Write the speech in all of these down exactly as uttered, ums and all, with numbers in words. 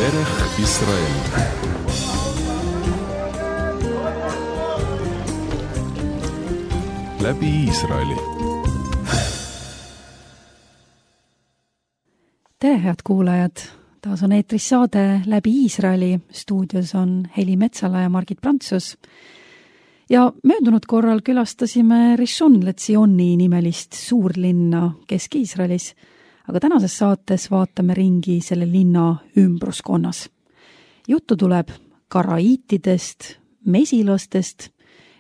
דרך ישראל. läbi Iisraeli. Tere, head kuulajad! Taas on eetris saade Läbi Iisraeli. Stuudios on Heli Metsala ja Margit Prantsus. Ja möödunud korral külastasime Rishon LeZioni nimelist suurlinna Kesk-Iisraelis, aga tänases saates vaatame ringi selle linna ümbruskonnas. Juttu tuleb karaiitidest, mesilastest,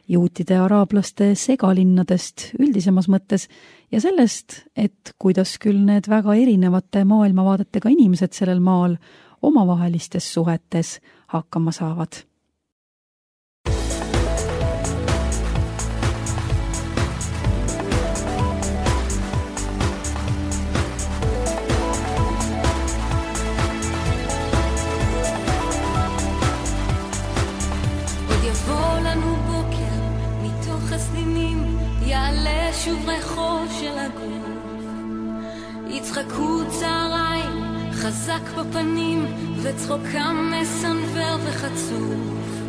juutide ja araablaste segalinnadest üldisemas mõttes ja sellest, et kuidas küll need väga erinevate maailmavaadetega inimesed sellel maal omavahelistes suhetes hakkama saavad. יעלה שוב ריחו של הגוף, יצחקו צהריים חזק בפנים וצחוקם מסנבר וחצוף.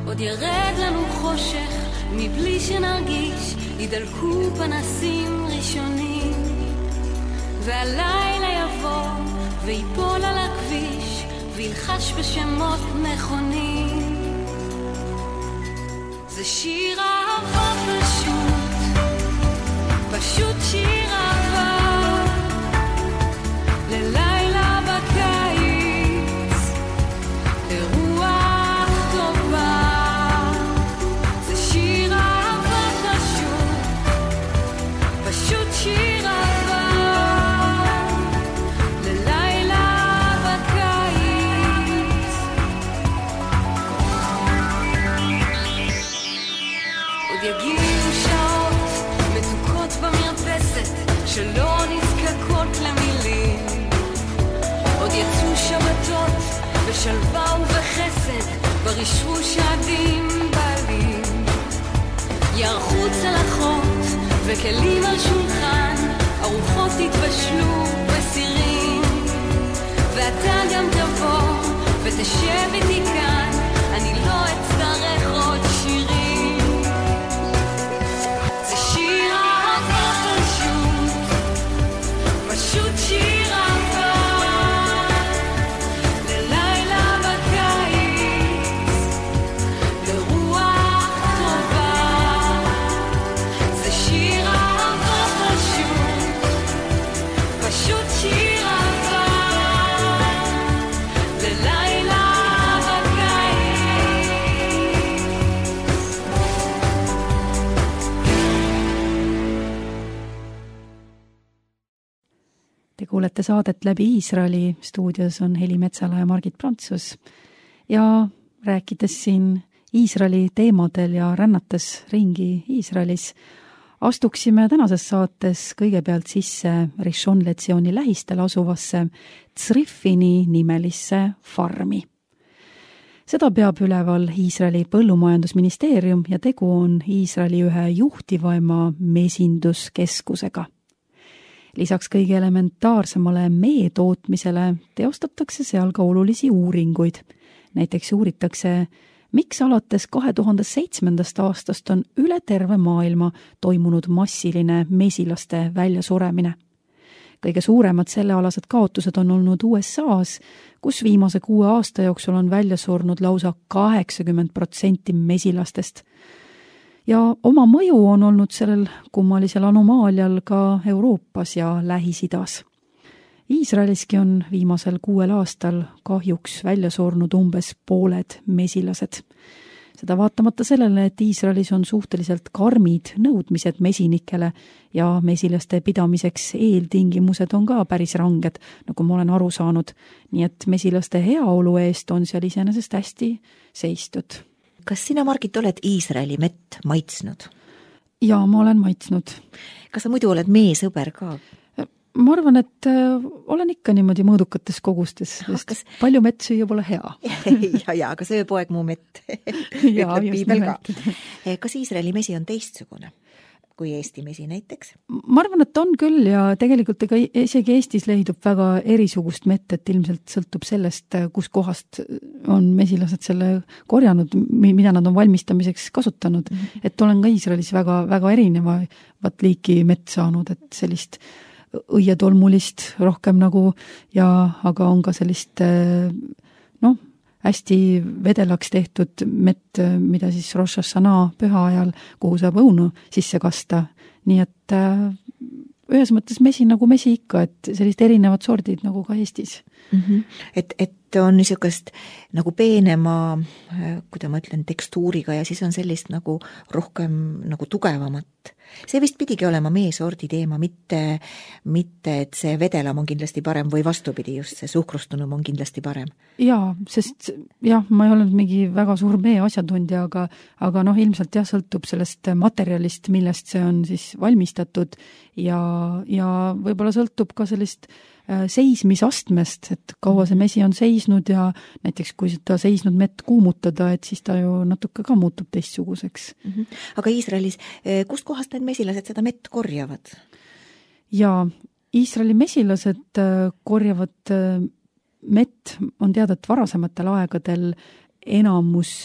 עוד ירד לנו חושך מבלי שנרגיש, ידלקו פנסים ראשונים, והלילה יבוא ויפול על הכביש וילחש בשמות נכונים. זה שיר אהבה פשוט, פשוט שיר אהבה ללילה בקיץ, לרוח טובה. זה שיר אהבה פשוט, פשוט שיר אהבה ללילה בקיץ. עוד יגיעו שעות מתוקות במרפסת שלא נזקקות למילים, עוד יצאו שבתות בשלווה ובחסד ברשרוש עדים בעלים, יערכו צלחות וכלים על שולחן, ארוחות יתבשלו בסירים, ואתה גם תבוא ותשב איתי כאן, אני לא אצטרך עוד שירים. זה שיר אהבה פשוט, פשוט שיר אהבה ללילה בקיץ, לרוח טובה. זה שיר אהבה פשוט, פשוט שיר אהבה ללילה בקיץ. Te kuulete saadet Läbi Iisraeli. Stuudios on Heli Metsala ja Margit Prantsus. Ja rääkides siin Iisraeli teemadel ja rännates ringi Iisraelis, astuksime tänases saates kõigepealt sisse Rishon LeZioni lähistel asuvasse Tzrifini nimelisse farmi. Seda peab üleval Iisraeli põllumajandusministeerium ja tegu on Iisraeli ühe juhtivaima mesinduskeskusega. Lisaks kõige elementaarsemale mee tootmisele teostatakse seal ka olulisi uuringuid. Näiteks uuritakse, miks alates kahe tuhande seitsmendast aastast on üle terve maailma toimunud massiline mesilaste väljasuremine. Kõige suuremad sellealased kaotused on olnud U S A's, kus viimase kuue aasta jooksul on välja surnud lausa kaheksakümmend protsenti mesilastest. Ja oma mõju on olnud sellel kummalisel anomaalial ka Euroopas ja Lähis-Idas. Iisraeliski on viimasel kuuel aastal kahjuks välja surnud umbes pooled mesilased. Seda vaatamata sellele, et Iisraelis on suhteliselt karmid nõudmised mesinikele ja mesilaste pidamiseks eeltingimused on ka päris ranged, nagu ma olen aru saanud. Nii et mesilaste heaolu eest on seal iseenesest hästi seistud. Kas sina, Margit, oled Iisraeli mett maitsnud? Jaa, ma olen maitsnud. Kas sa muidu oled meesõber ka? Ma arvan, et olen ikka niimoodi mõõdukates kogustes, sest kas... palju mett süüa pole hea. ja, ja, aga söö poeg mu mett. Jaa, just nimelt. Kas Iisraeli mesi on teistsugune? kui Eesti mesi näiteks? Ma arvan, et on küll ja tegelikult ega isegi Eestis leidub väga erisugust mett, et ilmselt sõltub sellest, kus kohast on mesilased selle korjanud, mida nad on valmistamiseks kasutanud. Mm-hmm. Et olen ka Iisraelis väga, väga erinevat liiki mett saanud, et sellist õietolmulist rohkem nagu ja aga on ka sellist noh, hästi vedelaks tehtud mett, mida siis Rosh Hashanah püha ajal, kuhu saab õunu sisse kasta. Nii et äh, ühes mõttes mesi nagu mesi ikka, et sellist erinevad sordid nagu ka Eestis. Mm-hmm. Et, et on niisugust nagu peenema, kuidas ma ütlen, tekstuuriga ja siis on sellist nagu rohkem nagu tugevamat. See vist pidigi olema meesordi teema, mitte, mitte et see vedelam on kindlasti parem või vastupidi, just see suhkrustunum on kindlasti parem. Jaa, sest jah, ma ei olnud mingi väga suur mee asjatundja, aga, aga noh, ilmselt jah, sõltub sellest materjalist, millest see on siis valmistatud ja, ja võib-olla sõltub ka sellist seismisastmest, et kaua see mesi on seisnud ja näiteks kui seda seisnud mett kuumutada, et siis ta ju natuke ka muutub teistsuguseks. Mm-hmm. Aga Iisraelis, kust kohast need mesilased seda mett korjavad? Ja Iisraeli mesilased korjavad mett, on teada, et varasematel aegadel enamus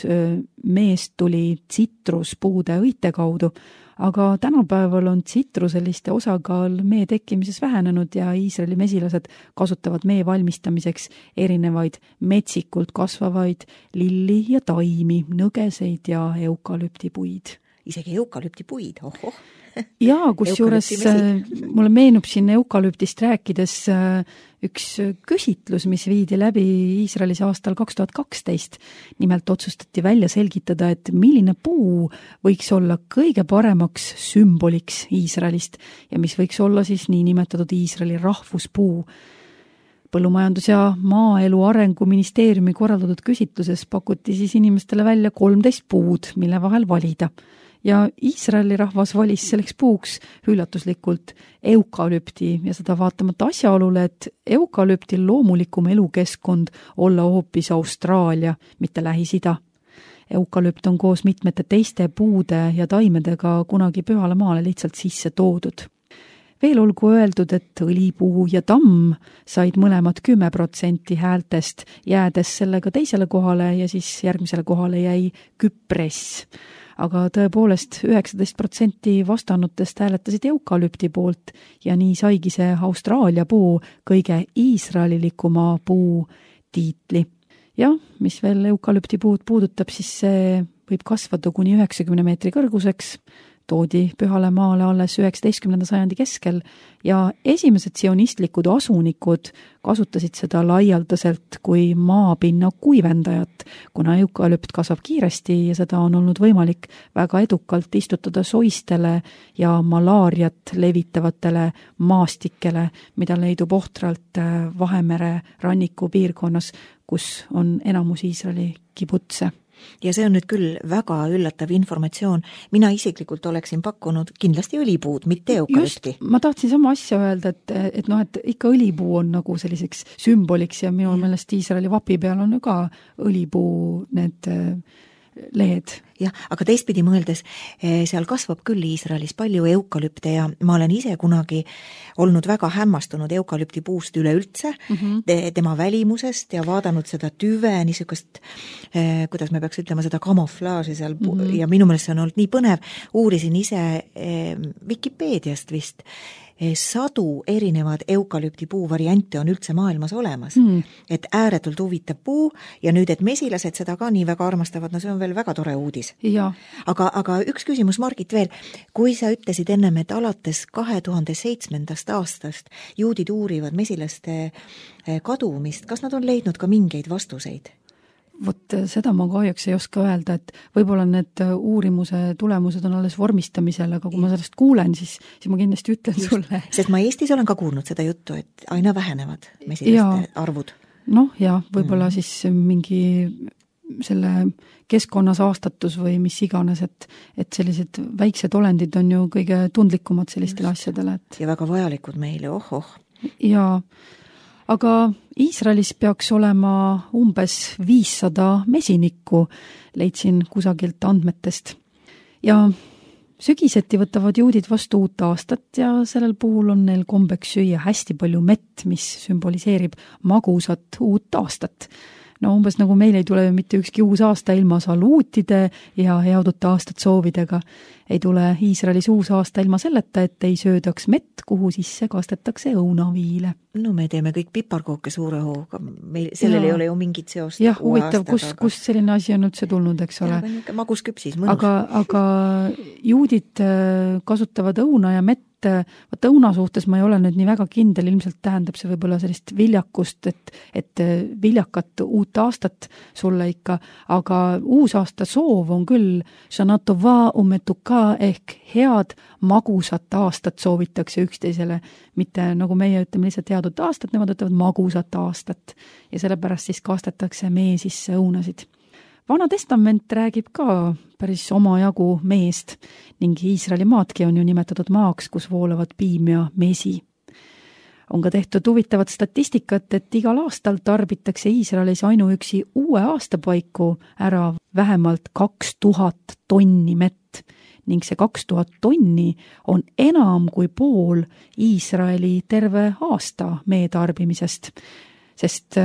meest tuli tsitruspuude õite kaudu, aga tänapäeval on tsitruseliste osakaal mee tekkimises vähenenud ja Iisraeli mesilased kasutavad mee valmistamiseks erinevaid metsikult kasvavaid lilli ja taimi, nõgeseid ja eukalüptipuid. Isegi eukalüptipuid, ohoh. Jaa, kus juures mulle meenub siin eukalüptist rääkides üks küsitlus, mis viidi läbi Iisraelis aastal kaks tuhat kaksteist. Nimelt otsustati välja selgitada, et milline puu võiks olla kõige paremaks sümboliks Iisraelist ja mis võiks olla siis niinimetatud Iisraeli rahvuspuu. Põllumajandus- ja maaelu arengu ministeeriumi korraldatud küsitluses pakuti siis inimestele välja kolmteist puud, mille vahel valida. Ja Iisraeli rahvas valis selleks puuks üllatuslikult eukalüpti ja seda vaatamata asjaolule, et eukalüptil loomulikum elukeskkond olla hoopis Austraalia, mitte Lähis-Ida. Eukalüpt on koos mitmete teiste puude ja taimedega kunagi pühale maale lihtsalt sisse toodud. Veel olgu öeldud, et õlipuu ja tamm said mõlemad kümme protsenti häältest, jäädes sellega teisele kohale ja siis järgmisele kohale jäi küpress. Aga tõepoolest üheksateist protsenti vastanutest hääletasid eukalüpti poolt ja nii saigi see Austraalia puu kõige iisraelilikuma puu tiitli. Ja mis veel eukalüpti puud puudutab, siis see võib kasvada kuni üheksakümne meetri kõrguseks, toodi pühale maale alles üheksateistkümnenda sajandi keskel ja esimesed sionistlikud asunikud kasutasid seda laialdaselt kui maapinna kuivendajat, kuna eukalüpt kasvab kiiresti ja seda on olnud võimalik väga edukalt istutada soistele ja malaariat levitavatele maastikele, mida leidub ohtralt Vahemere ranniku piirkonnas, kus on enamus Iisraeli kibutse. Ja see on nüüd küll väga üllatav informatsioon. Mina isiklikult oleksin pakkunud kindlasti õlipuud, mitte eukalüpti. Just, ma tahtsin sama asja öelda, et, et, noh, et ikka õlipuu on nagu selliseks sümboliks ja minu meelest Iisraeli vapi peal on ju ka õlipuu need lehed. Jah, aga teistpidi mõeldes, seal kasvab küll Iisraelis palju eukalüpte ja ma olen ise kunagi olnud väga hämmastunud eukalüpti puust üleüldse, mm-hmm. tema välimusest ja vaadanud seda tüve, niisugust, kuidas me peaks ütlema, seda kamuflaaži seal mm-hmm. ja minu meelest see on olnud nii põnev. Uurisin ise Wikipeediast vist, sadu erinevad eukalüpti puu variante on üldse maailmas olemas. Mm. Et ääretult huvitav puu ja nüüd, et mesilased seda ka nii väga armastavad, no see on veel väga tore uudis. Ja. Aga, aga üks küsimus, Margit, veel. Kui sa ütlesid ennem, et alates kahe tuhande seitsmendast aastast juudid uurivad mesilaste kadumist, kas nad on leidnud ka mingeid vastuseid? Vot seda ma kahjuks ei oska öelda, et võib-olla need uurimuse tulemused on alles vormistamisel, aga kui ma sellest kuulen, siis, siis ma kindlasti ütlen Just, sulle. Sest ma Eestis olen ka kuulnud seda juttu, et aina vähenevad mesilaste ja, arvud. Noh, ja võib-olla mm. siis mingi selle keskkonnas aastatus või mis iganes, et, et sellised väiksed olendid on ju kõige tundlikumad sellistele Just. asjadele. Et... Ja väga vajalikud meile, oh, oh. Ja aga Iisraelis peaks olema umbes viissada mesinikku, leidsin kusagilt andmetest. Ja sügiseti võtavad juudid vastu uut aastat ja sellel puhul on neil kombeks süüa hästi palju mett, mis sümboliseerib magusat uut aastat. No umbes nagu meil ei tule mitte ükski uus aasta ilma saluutide ja head uut aastat soovidega. Ei tule Iisraelis uus aasta ilma selleta, et ei söödaks mett, kuhu sisse kastetakse õunaviile. No me teeme kõik piparkooke suure hooga, meil, sellel ja. Ei ole ju mingit seost. Jah, huvitav, kus, aga... kus selline asi on üldse tulnud, eks ole. Magus küpsis, mõnus. Aga, aga juudid kasutavad õuna ja mett. Vaat õuna suhtes ma ei ole nüüd nii väga kindel, ilmselt tähendab see võib-olla sellist viljakust, et, et viljakat uut aastat sulle ikka, aga uus aasta soov on küll Shana Tova umetuka ehk head magusat aastat soovitakse üksteisele, mitte nagu meie ütleme lihtsalt head uut aastat, nemad ütlevad magusat aastat ja sellepärast siis kastetakse mee sisse õunasid. Vana testament räägib ka päris omajagu meest ning Iisraeli maadki on ju nimetatud maaks, kus voolavad piim ja mesi. On ka tehtud huvitavat statistikat, et igal aastal tarbitakse Iisraelis ainuüksi uue aastapaiku ära vähemalt kaks tuhat tonni mett ning see kaks tuhat tonni on enam kui pool Iisraeli terve aasta mee tarbimisest, sest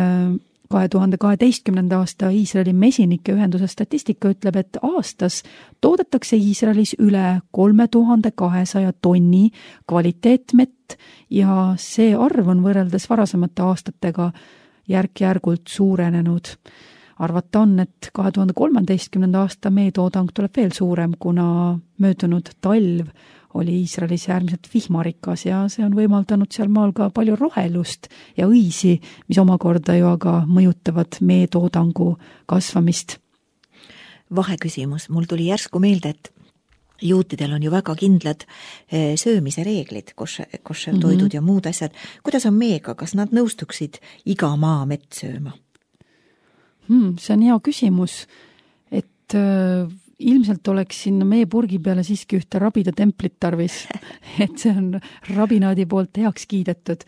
kahe tuhande kaheteistkümnenda aasta Iisraeli mesinike ühenduse statistika ütleb, et aastas toodetakse Iisraelis üle kolme tuhande kahesaja tonni kvaliteetmett ja see arv on võrreldes varasemate aastatega järk-järgult suurenenud. Arvata on, et kahe tuhande kolmeteistkümnenda aasta meetoodang tuleb veel suurem, kuna möödunud talv oli Iisraelis äärmiselt vihmarikas ja see on võimaldanud seal maal ka palju rohelust ja õisi, mis omakorda ju aga mõjutavad meetoodangu kasvamist. Vaheküsimus, mul tuli järsku meelde, et juutidel on ju väga kindlad söömise reeglid, kosher toidud mm-hmm. ja muud asjad. Kuidas on meega, kas nad nõustuksid iga maa mett sööma? Hmm, see on hea küsimus, et äh, ilmselt oleks sinna meie purgi peale siiski ühte rabida templit tarvis, et see on rabinaadi poolt heaks kiidetud,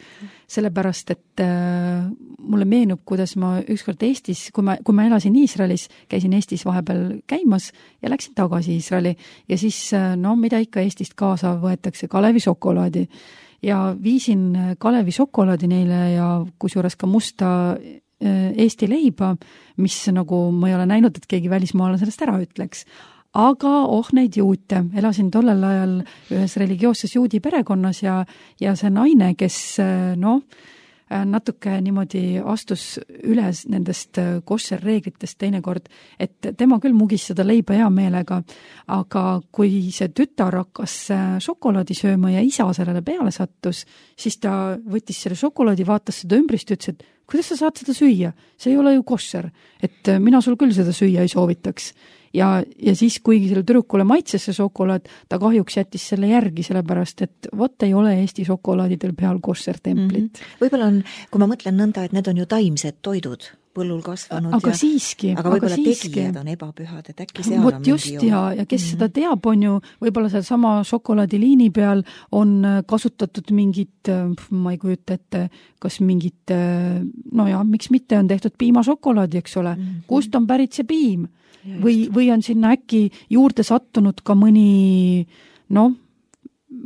sellepärast, et äh, mulle meenub, kuidas ma ükskord Eestis, kui ma, kui ma elasin Iisraelis, käisin Eestis vahepeal käimas ja läksin tagasi Iisraeli ja siis, no mida ikka Eestist kaasa võetakse, Kalevi šokolaadi ja viisin Kalevi šokolaadi neile ja kusjuures ka musta Eesti leiba, mis nagu ma ei ole näinud, et keegi välismaale sellest ära ütleks. Aga oh neid juute, elasin tollel ajal ühes religioosses juudi perekonnas ja, ja see naine, kes no, natuke niimoodi astus üles nendest kosher reeglitest teinekord, et tema küll mugis seda leiba hea meelega, aga kui see tütar hakkas šokolaadi sööma ja isa sellele peale sattus, siis ta võttis selle šokolaadi, vaatas seda ümbrist ja ütles, et kuidas sa saad seda süüa? See ei ole ju kosher, et mina sul küll seda süüa ei soovitaks. Ja, ja siis, kuigi selle tüdrukule maitses see šokolaad, ta kahjuks jättis selle järgi, sellepärast, et vot ei ole Eesti šokolaadidel peal kosher templit. Mm-hmm. Võib-olla on, kui ma mõtlen nõnda, et need on ju taimsed toidud, põllul kasvanud. Aga ja, siiski. Aga võib-olla tegijad on ebapühad, et äkki seal Vot on just mingi ja, ja kes mm-hmm. seda teab, on ju, võib-olla seal sama šokolaadiliini peal on kasutatud mingit, ma ei kujuta ette, kas mingit, no ja, miks mitte on tehtud piimašokolaadi, eks ole, mm-hmm. kust on pärit see piim? Või, või on sinna äkki juurde sattunud ka mõni, no,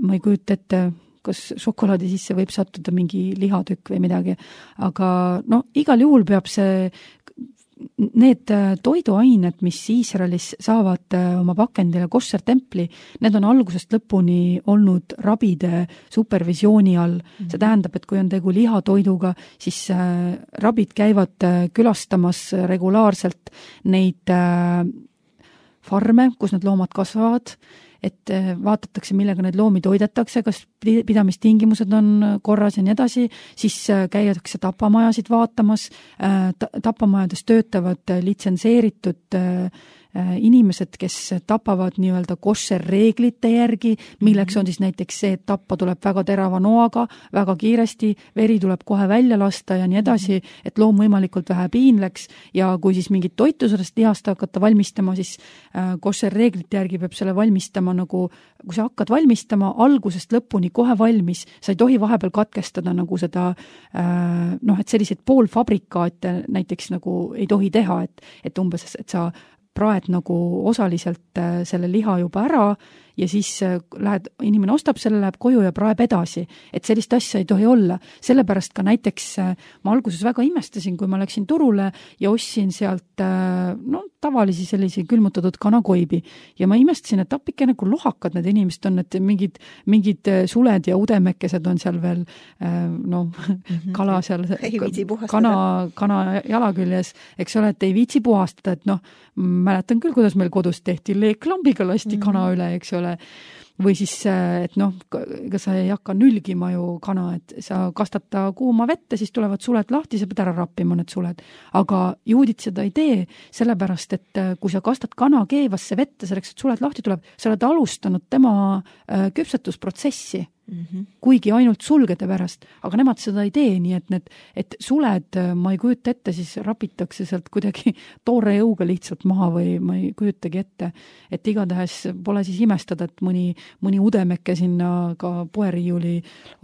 ma ei kujuta ette, kas šokolaadi sisse võib sattuda mingi lihatükk või midagi, aga no igal juhul peab see, need toiduained, mis Iisraelis saavad oma pakendile kosher templi, need on algusest lõpuni olnud rabide supervisiooni all. Mm-hmm. See tähendab, et kui on tegu lihatoiduga, siis rabid käivad külastamas regulaarselt neid farme, kus need loomad kasvavad, et vaatatakse, millega need loomi toidetakse, kas pidamistingimused on korras ja nii edasi, siis käiakse tapamajasid vaatamas, tapamajades töötavad litsenseeritud inimesed, kes tapavad nii-öelda kosher reeglite järgi, milleks on siis näiteks see, et tappa tuleb väga terava noaga, väga kiiresti, veri tuleb kohe välja lasta ja nii edasi, et loom võimalikult vähe piinleks ja kui siis mingit toitu sellest lihast hakata valmistama, siis kosher reeglite järgi peab selle valmistama nagu, kui sa hakkad valmistama algusest lõpuni kohe valmis, sa ei tohi vahepeal katkestada nagu seda, noh, et selliseid poolfabrikaate näiteks nagu ei tohi teha, et, et umbes, et sa praed nagu osaliselt selle liha juba ära ja siis lähed, inimene ostab selle, läheb koju ja praeb edasi. Et sellist asja ei tohi olla. Sellepärast ka näiteks ma alguses väga imestasin, kui ma läksin turule ja ostsin sealt no, tavalisi sellisi külmutatud kanakoibi. Ja ma imestasin, et appikene, kui lohakad need inimesed on, et mingid, mingid suled ja udemekesed on seal veel no, mm-hmm. kala seal, kana, kana jala küljes, eks ole, et ei viitsi puhastada, et noh, mäletan küll, kuidas meil kodus tehti, leeklambiga lasti mm-hmm. kana üle, eks ole. Või siis, et noh, ega sa ei hakka nülgima ju kana, et sa kastad ta kuuma vette, siis tulevad suled lahti, sa pead ära rappima need suled. Aga juudid seda ei tee, sellepärast, et kui sa kastad kana keevasse vette, selleks, et suled lahti tuleb, sa oled alustanud tema küpsetusprotsessi. Mm-hmm. Kuigi ainult sulgede pärast, aga nemad seda ei tee, nii et need, et suled, ma ei kujuta ette, siis rapitakse sealt kuidagi toore jõuga lihtsalt maha või ma ei kujutagi ette, et igatahes pole siis imestada, et mõni, mõni udemeke sinna ka poeriiuli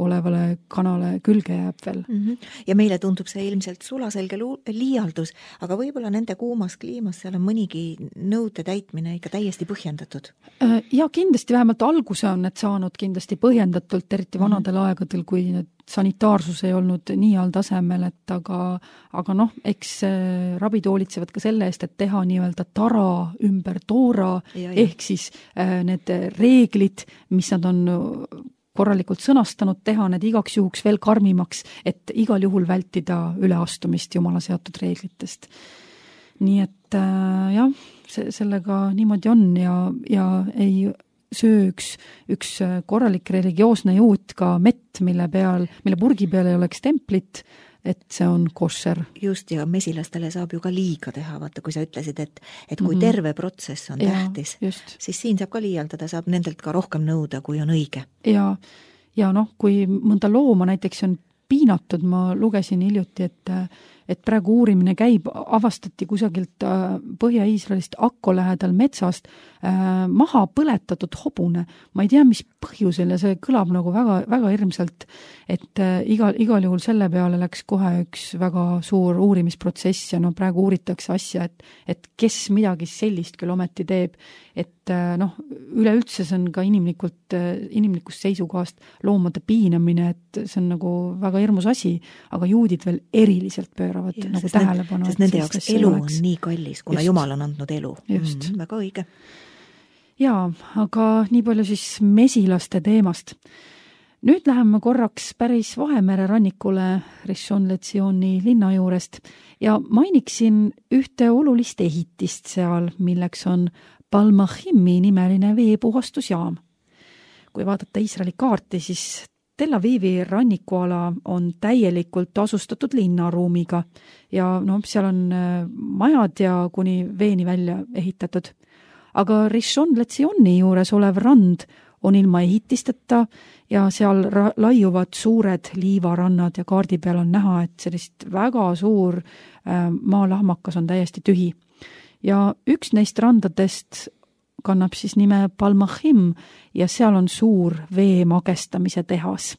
olevale kanale külge jääb veel. Mm-hmm. Ja meile tundub see ilmselt sulaselge liialdus, aga võib-olla nende kuumas kliimas seal on mõnigi nõude täitmine ikka täiesti põhjendatud? Ja kindlasti vähemalt alguse on need saanud kindlasti põhjendatud, eriti vanadel aegadel, kui need sanitaarsus ei olnud nii all tasemel, et aga, aga noh, eks rabid hoolitsevad ka selle eest, et teha nii-öelda tara ümber toora, ja, ja. ehk siis äh, need reeglid, mis nad on korralikult sõnastanud, teha need igaks juhuks veel karmimaks, et igal juhul vältida üleastumist jumala seatud reeglitest. Nii et äh, jah, see, sellega niimoodi on ja, ja ei söö üks, üks korralik religioosne juut ka mett, mille peal, mille purgi peal ei oleks templit, et see on košer. Just, ja mesilastele saab ju ka liiga teha, vaata, kui sa ütlesid, et, et kui mm-hmm. terve protsess on ja, tähtis, just. Siis siin saab ka liialdada, saab nendelt ka rohkem nõuda, kui on õige. Ja, ja noh, kui mõnda looma näiteks on piinatud, ma lugesin hiljuti, et et praegu uurimine käib, avastati kusagilt Põhja-Iisraelist Akko lähedal metsast äh, maha põletatud hobune. Ma ei tea, mis põhjusel ja see kõlab nagu väga, väga hirmsalt, et äh, igal, igal juhul selle peale läks kohe üks väga suur uurimisprotsess ja no praegu uuritakse asja, et, et kes midagi sellist küll ometi teeb, et äh, noh, üleüldse see on ka inimlikult, äh, inimlikust seisukohast loomade piinamine, et see on nagu väga hirmus asi, aga juudid veel eriliselt pööravad. Ja, nagu sest, need, sest nende jaoks elu oleks. On nii kallis, kuna just. Jumal on andnud elu. Just. Mm, väga õige. Jaa, aga nii palju siis mesilaste teemast. Nüüd läheme korraks päris Vahemere rannikule Rishon LeZioni linna juurest ja mainiksin ühte olulist ehitist seal, milleks on Palmachimi nimeline veepuhastusjaam. Kui vaadata Iisraeli kaarti, siis Tel Avivi rannikuala on täielikult asustatud linnaruumiga ja no, seal on majad ja kuni veeni välja ehitatud. Aga Rishon LeZioni juures olev rand on ilma ehitisteta ja seal ra- laiuvad suured liivarannad ja kaardi peal on näha, et sellist väga suur äh, maalahmakas on täiesti tühi. Ja üks neist randadest kannab siis nime Palmachim ja seal on suur vee magestamise tehas.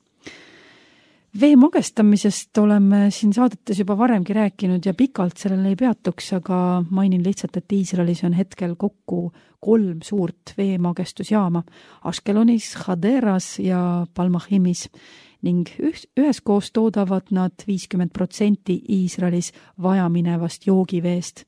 Vee magestamisest oleme siin saadetes juba varemgi rääkinud ja pikalt sellele ei peatuks, aga mainin lihtsalt, et Iisraelis on hetkel kokku kolm suurt veemagestusjaama Ashkelonis, Haderas ja Palmachimis ning üheskoos toodavad nad viiskümmend protsenti Iisraelis vajaminevast joogiveest.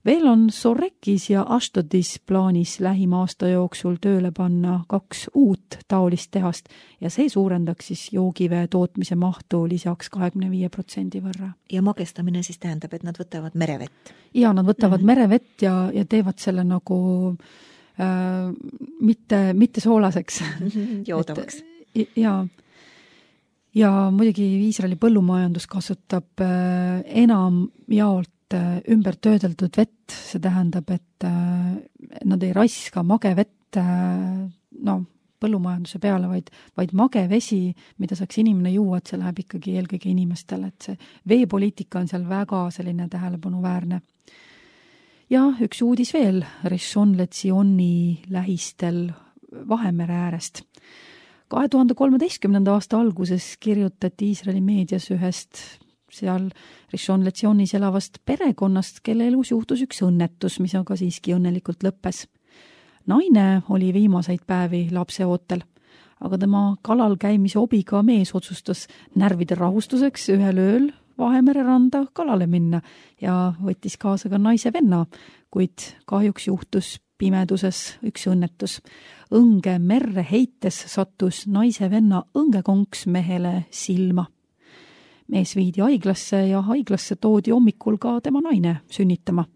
Veel on Sorekis ja Ashdodis plaanis lähima aasta jooksul tööle panna kaks uut taolist tehast ja see suurendaks siis joogivee tootmise mahtu lisaks kahekümne viie protsendi võrra. Ja magestamine siis tähendab, et nad võtavad merevett? Ja, nad võtavad mm-hmm. merevett ja, ja teevad selle nagu äh, mitte, mitte soolaseks. Joodavaks. Et, ja, ja muidugi Iisraeli põllumajandus kasutab äh, enam jaolt ümber töödeldud vett, see tähendab, et nad ei raiska mage vett no, põllumajanduse peale, vaid, vaid mage vesi, mida saaks inimene juua, et see läheb ikkagi eelkõige inimestele, et see veepoliitika on seal väga selline tähelepanuväärne. Ja üks uudis veel Rishon LeZioni lähistel Vahemere äärest. kahe tuhande kolmeteistkümnenda aasta alguses kirjutati Iisraeli meedias ühest seal Rishon LeZionis elavast perekonnast, kelle elus juhtus üks õnnetus, mis aga siiski õnnelikult lõppes. naine oli viimaseid päevi lapseootel, aga tema kalal käimise hobiga mees otsustas närvide rahustuseks ühel ööl Vahemere randa kalale minna ja võttis kaasa ka naise venna, kuid kahjuks juhtus pimeduses üks õnnetus. Õnge merre heites sattus naise venna õngekonks mehele silma. Mees viidi haiglasse ja haiglasse toodi hommikul ka tema naine sünnitama.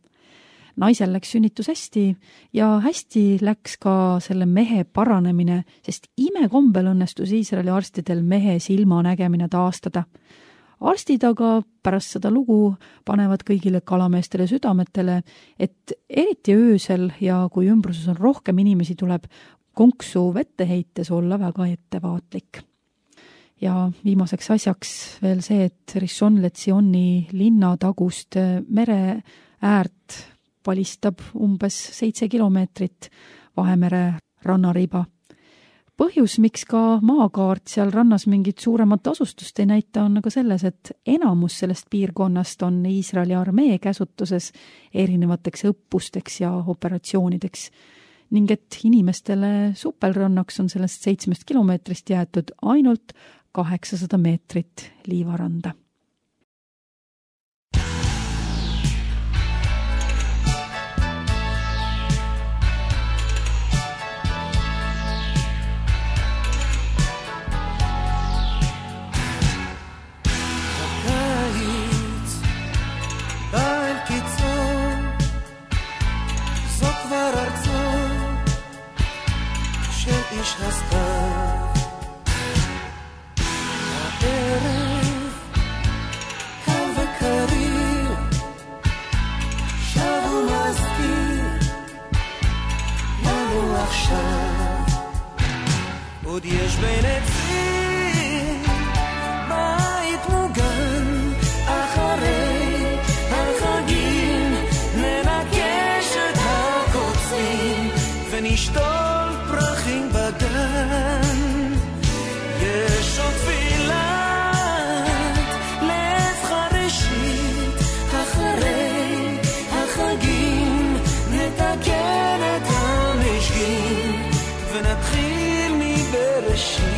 Naisel läks sünnitus hästi ja hästi läks ka selle mehe paranemine, sest imekombel õnnestus Iisraeli arstidel mehe silma nägemine taastada. Arstid aga pärast seda lugu panevad kõigile kalameestele südametele, et eriti öösel ja kui ümbruses on rohkem inimesi, tuleb konksu vette heites olla väga ettevaatlik. Ja viimaseks asjaks veel see, et Rishon LeZioni linna tagust mere äärt palistab umbes seitse kilomeetrit Vahemere rannariba. Põhjus, miks ka maakaart seal rannas mingit suuremat asustust ei näita, on aga selles, et enamus sellest piirkonnast on Iisraeli armee käsutuses erinevateks õppusteks ja operatsioonideks ning et inimestele supelrannaks on sellest seitsmest kilomeetrist jäetud ainult kaheksasada meetrit liivaranda. איש הסתיו הערב קל וקריר שב ומזכיר לנו עכשיו עוד יש בין עצים בית מוגן אחרי החגים ננקש את הקוצים ונשתול פרחים בגן יש עוד תפילת לב חרישית אחרי החגים נתקן את המשגים ונתחיל מבראשית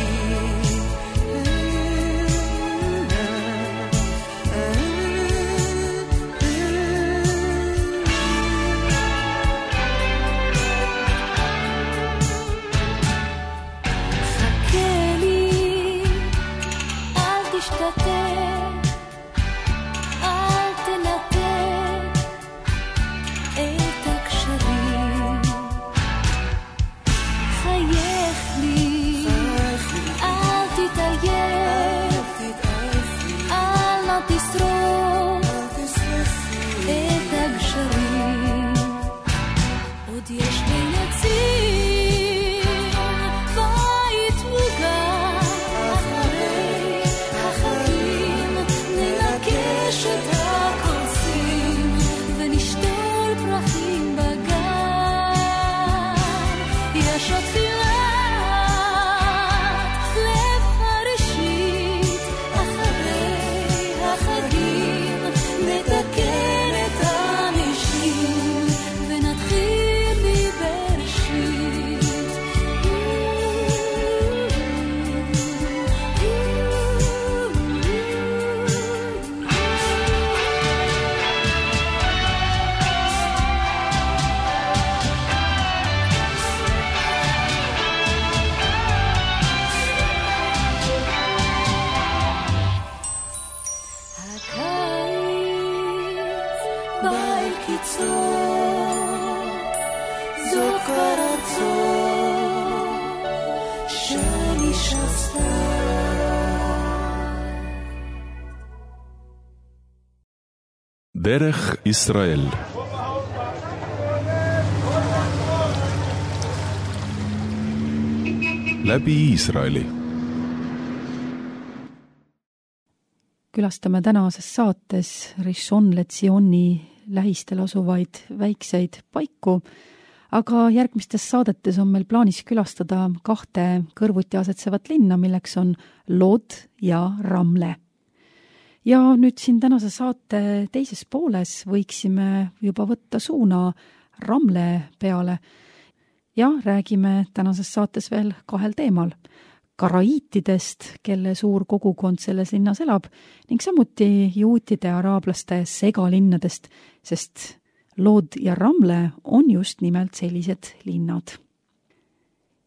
דרך ישראל. läbi Iisraeli. Külastame tänases saates Rishon LeZioni lähistel asuvaid väikseid paiku, aga järgmistes saadetes on meil plaanis külastada kahte kõrvuti asetsevat linna, milleks on Lod ja Ramle. Ja nüüd siin tänase saate teises pooles võiksime juba võtta suuna Ramle peale. ja räägime tänases saates veel kahel teemal. Karaiitidest, kelle suur kogukond selles linnas elab, ning samuti juutide ja araablaste segalinnadest, sest Lood ja Ramle on just nimelt sellised linnad.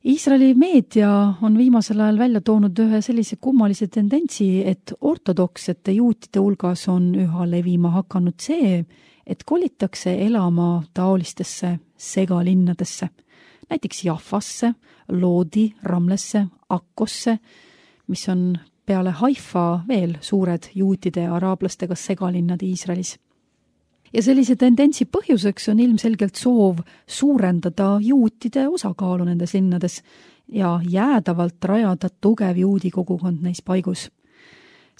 Iisraeli meedia on viimasel ajal välja toonud ühe sellise kummalise tendentsi, et ortodoksete juutide hulgas on üha levima hakanud see, et kolitakse elama taolistesse segalinnadesse, näiteks Jaffasse, Loodi, Ramlesse, Akkosse, mis on peale Haifa veel suured juutide ja araablastega segalinnad Iisraelis. Ja sellise tendentsi põhjuseks on ilmselgelt soov suurendada juutide osakaalu nendes linnades ja jäädavalt rajada tugev juudi kogukond neis paigus.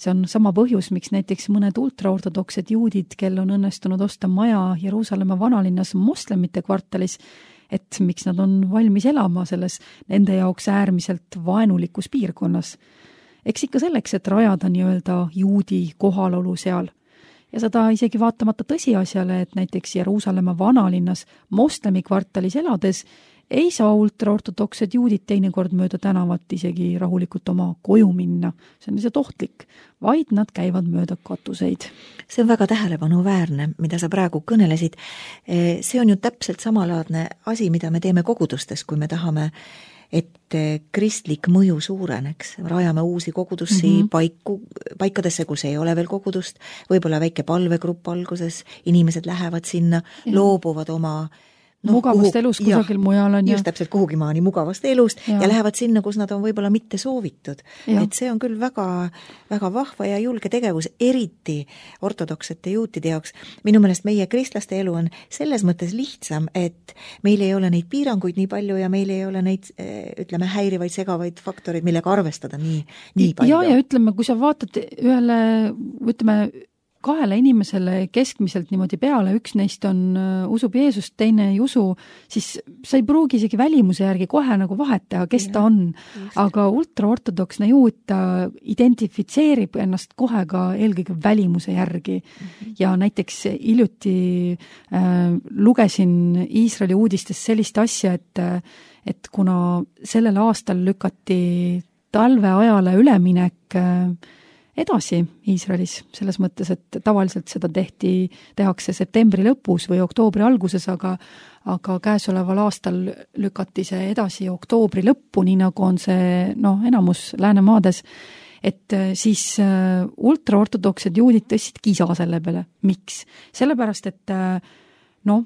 See on sama põhjus, miks näiteks mõned ultraortodoksed juudid, kel on õnnestunud osta maja Jeruusalemma vanalinnas moslemite kvartalis, et miks nad on valmis elama selles nende jaoks äärmiselt vaenulikus piirkonnas. Eks ikka selleks, et rajada nii-öelda juudi kohalolu seal. Ja seda isegi vaatamata tõsiasjale, et näiteks Jeruusalemma vanalinnas moslemi kvartalis elades ei saa ultraortodoksed juudid teinekord mööda tänavat isegi rahulikult oma koju minna. See on lihtsalt ohtlik, vaid nad käivad mööda katuseid. See on väga tähelepanuväärne, mida sa praegu kõnelesid. See on ju täpselt samalaadne asi, mida me teeme kogudustes, kui me tahame, et kristlik mõju suureneks. Rajame uusi kogudusi mm -hmm. paiku, paikadesse, kus ei ole veel kogudust, võib-olla väike palvegrupp alguses, inimesed lähevad sinna, ja. loobuvad oma no, mugavast kuhu, elust kusagil jah, mujal on. Just täpselt kuhugi maani mugavast elust ja. ja lähevad sinna, kus nad on võib-olla mitte soovitud. Ja. Et see on küll väga, väga vahva ja julge tegevus, eriti ortodoksete juutide jaoks. Minu meelest meie kristlaste elu on selles mõttes lihtsam, et meil ei ole neid piiranguid nii palju ja meil ei ole neid, ütleme, häirivaid, segavaid faktoreid, millega arvestada nii, nii palju. Ja, ja ütleme, kui sa vaatad ühele, ütleme, kahele inimesele keskmiselt niimoodi peale, üks neist on uh, usub Jeesust, teine ei usu, siis sa ei pruugi isegi välimuse järgi kohe nagu vahet teha, kes ja, ta on. Just. Aga ultraortodoksne juut ta identifitseerib ennast kohe ka eelkõige välimuse järgi. Mm-hmm. Ja näiteks hiljuti äh, lugesin Iisraeli uudistes sellist asja, et, et kuna sellel aastal lükati talveajale üleminek äh, edasi Iisraelis, selles mõttes, et tavaliselt seda tehti, tehakse septembri lõpus või oktoobri alguses, aga, aga käesoleval aastal lükati see edasi oktoobri lõppu, nii nagu on see no, enamus Läänemaades, et siis uh, ultraortodoksed juudid tõstsid kisa selle peale. Miks? Sellepärast, et uh, no,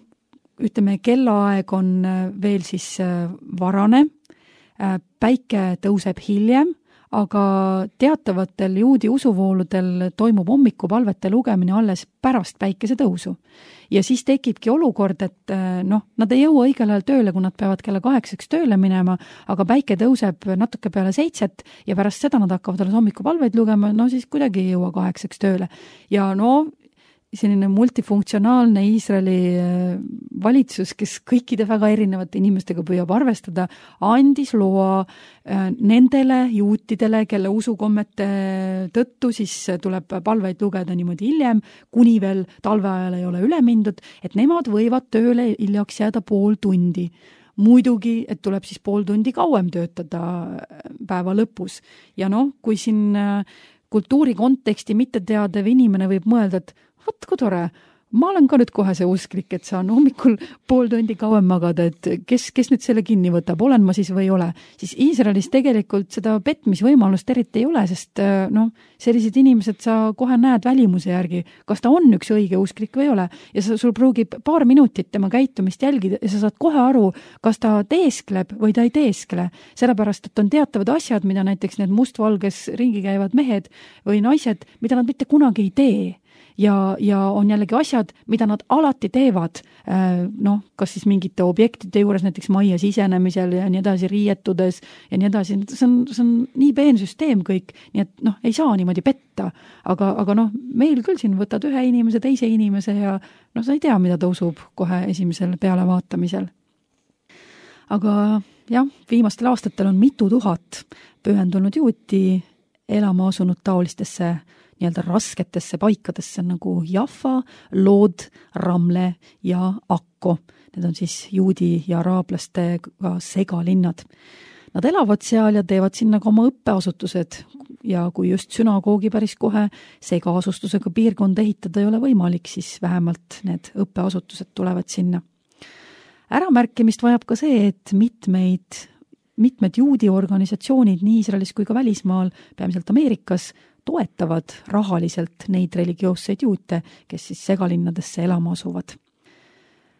ütleme, kellaaeg on veel siis uh, varane, uh, päike tõuseb hiljem, aga teatavatel juudi usuvooludel toimub hommikupalvete lugemine alles pärast päikese tõusu. Ja siis tekibki olukord, et noh, nad ei jõua õigel ajal tööle, kui nad peavad kella kaheksaks tööle minema, aga päike tõuseb natuke peale seitset ja pärast seda nad hakkavad alles hommikupalveid lugema, no siis kuidagi ei jõua kaheksaks tööle. Ja no selline multifunktsionaalne Iisraeli valitsus, kes kõikide väga erinevate inimestega püüab arvestada, andis loa nendele juutidele, kelle usukommete tõttu siis tuleb palveid lugeda niimoodi hiljem, kuni veel talveajal ei ole üle mindud, et nemad võivad tööle hiljaks jääda pool tundi. Muidugi, et tuleb siis pool tundi kauem töötada päeva lõpus. Ja noh, kui siin kultuuri konteksti mitte teadev inimene võib mõelda, et vot kui tore, ma olen ka nüüd kohe see usklik, et saan hommikul pool tundi kauem magada, et kes, kes nüüd selle kinni võtab, olen ma siis või ei ole. Siis Iisraelis tegelikult seda petmisvõimalust eriti ei ole, sest noh, sellised inimesed sa kohe näed välimuse järgi, kas ta on üks õige usklik või ei ole. Ja sa, sul pruugib paar minutit tema käitumist jälgida ja sa saad kohe aru, kas ta teeskleb või ta ei teeskle. Sellepärast, et on teatavad asjad, mida näiteks need mustvalges ringi käivad mehed või naised, mida nad mitte kunagi ei tee. Ja, ja on jällegi asjad, mida nad alati teevad, noh, kas siis mingite objektide juures, näiteks majja sisenemisel ja nii edasi, riietudes ja nii edasi, see on, see on nii peen süsteem kõik, nii et noh, ei saa niimoodi petta, aga, aga noh, meil küll siin võtad ühe inimese, teise inimese ja noh, sa ei tea, mida ta usub kohe esimesel pealevaatamisel. Aga jah, viimastel aastatel on mitu tuhat pühendunud juuti elama asunud taolistesse nii-öelda rasketesse paikadesse nagu Jaffa, Lod, Ramle ja Akko. Need on siis juudi ja araablastega segalinnad. Nad elavad seal ja teevad sinna ka oma õppeasutused ja kui just sünagoogi päris kohe segaasustusega piirkonda ehitada ei ole võimalik, siis vähemalt need õppeasutused tulevad sinna. Äramärkimist vajab ka see, et mitmeid, mitmed juudi organisatsioonid nii Iisraelis kui ka välismaal, peamiselt Ameerikas, toetavad rahaliselt neid religioosseid juute, kes siis segalinnadesse elama asuvad.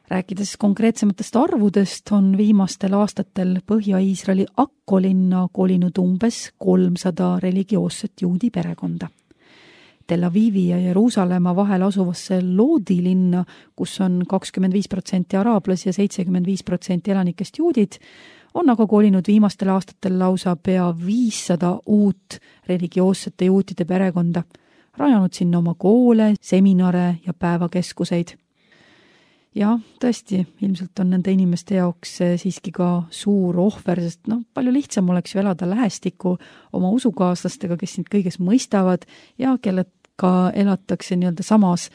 Rääkides konkreetsematest arvudest, on viimastel aastatel Põhja-Iisraeli Akko linna kolinud umbes kolmsada religioosset juudi perekonda. Tel Avivi ja Jeruusalemma vahel asuvasse Lodi linna, kus on kakskümmend viis protsenti araablasi ja seitsekümmend viis protsenti elanikest juudid, on aga kolinud viimastel aastatel lausa pea viissada uut religioossete juutide perekonda, rajanud sinna oma koole, seminare ja päevakeskuseid. Ja tõesti, ilmselt on nende inimeste jaoks siiski ka suur ohver, sest no, palju lihtsam oleks ju elada lähestikku oma usukaaslastega, kes sind kõiges mõistavad ja kellega elatakse nii-öelda samas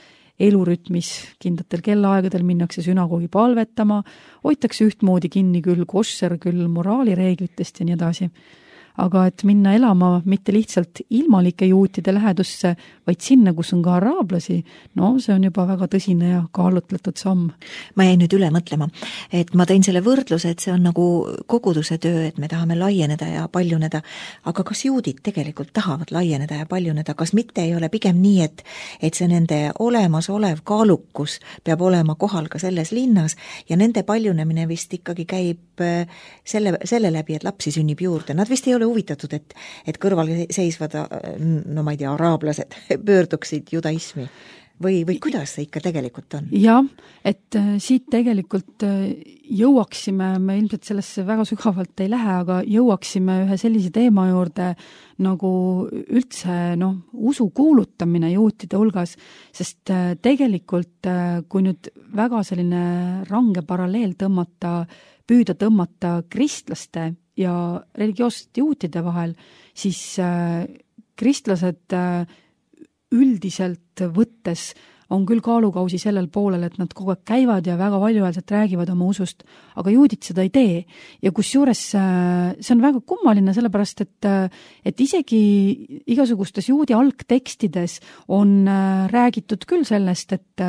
elurütmis, kindlatel kellaaegadel minnakse sünagoogi palvetama, hoitakse ühtmoodi kinni küll koššer, küll moraalireeglitest ja nii edasi. Aga et minna elama mitte lihtsalt ilmalike juutide lähedusse, vaid sinna, kus on ka araablasi, no see on juba väga tõsine ja kaalutletud samm. Ma jäin nüüd üle mõtlema, et ma tõin selle võrdluse, et see on nagu koguduse töö, et me tahame laieneda ja paljuneda, aga kas juudid tegelikult tahavad laieneda ja paljuneda, kas mitte ei ole pigem nii, et, et see nende olemas olev kaalukus peab olema kohal ka selles linnas ja nende paljunemine vist ikkagi käib selle, selle läbi, et lapsi sünnib juurde. Nad vist ei ole huvitatud, et, et kõrval seisvad, no ma ei tea, araablased pöörduksid judaismi või, või kuidas see ikka tegelikult on? Jah, et siit tegelikult jõuaksime, me ilmselt sellesse väga sügavalt ei lähe, aga jõuaksime ühe sellise teema juurde nagu üldse no, usu kuulutamine juutide hulgas, sest tegelikult kui nüüd väga selline range paralleel tõmmata, püüda tõmmata kristlaste ja religioossete juutide vahel, siis äh, kristlased äh, üldiselt võttes on küll kaalukausi sellel poolel, et nad kogu aeg käivad ja väga valjuhäälselt räägivad oma usust, aga juudid seda ei tee. Ja kusjuures see on väga kummaline, sellepärast, et, et isegi igasugustes juudi algtekstides on räägitud küll sellest, et,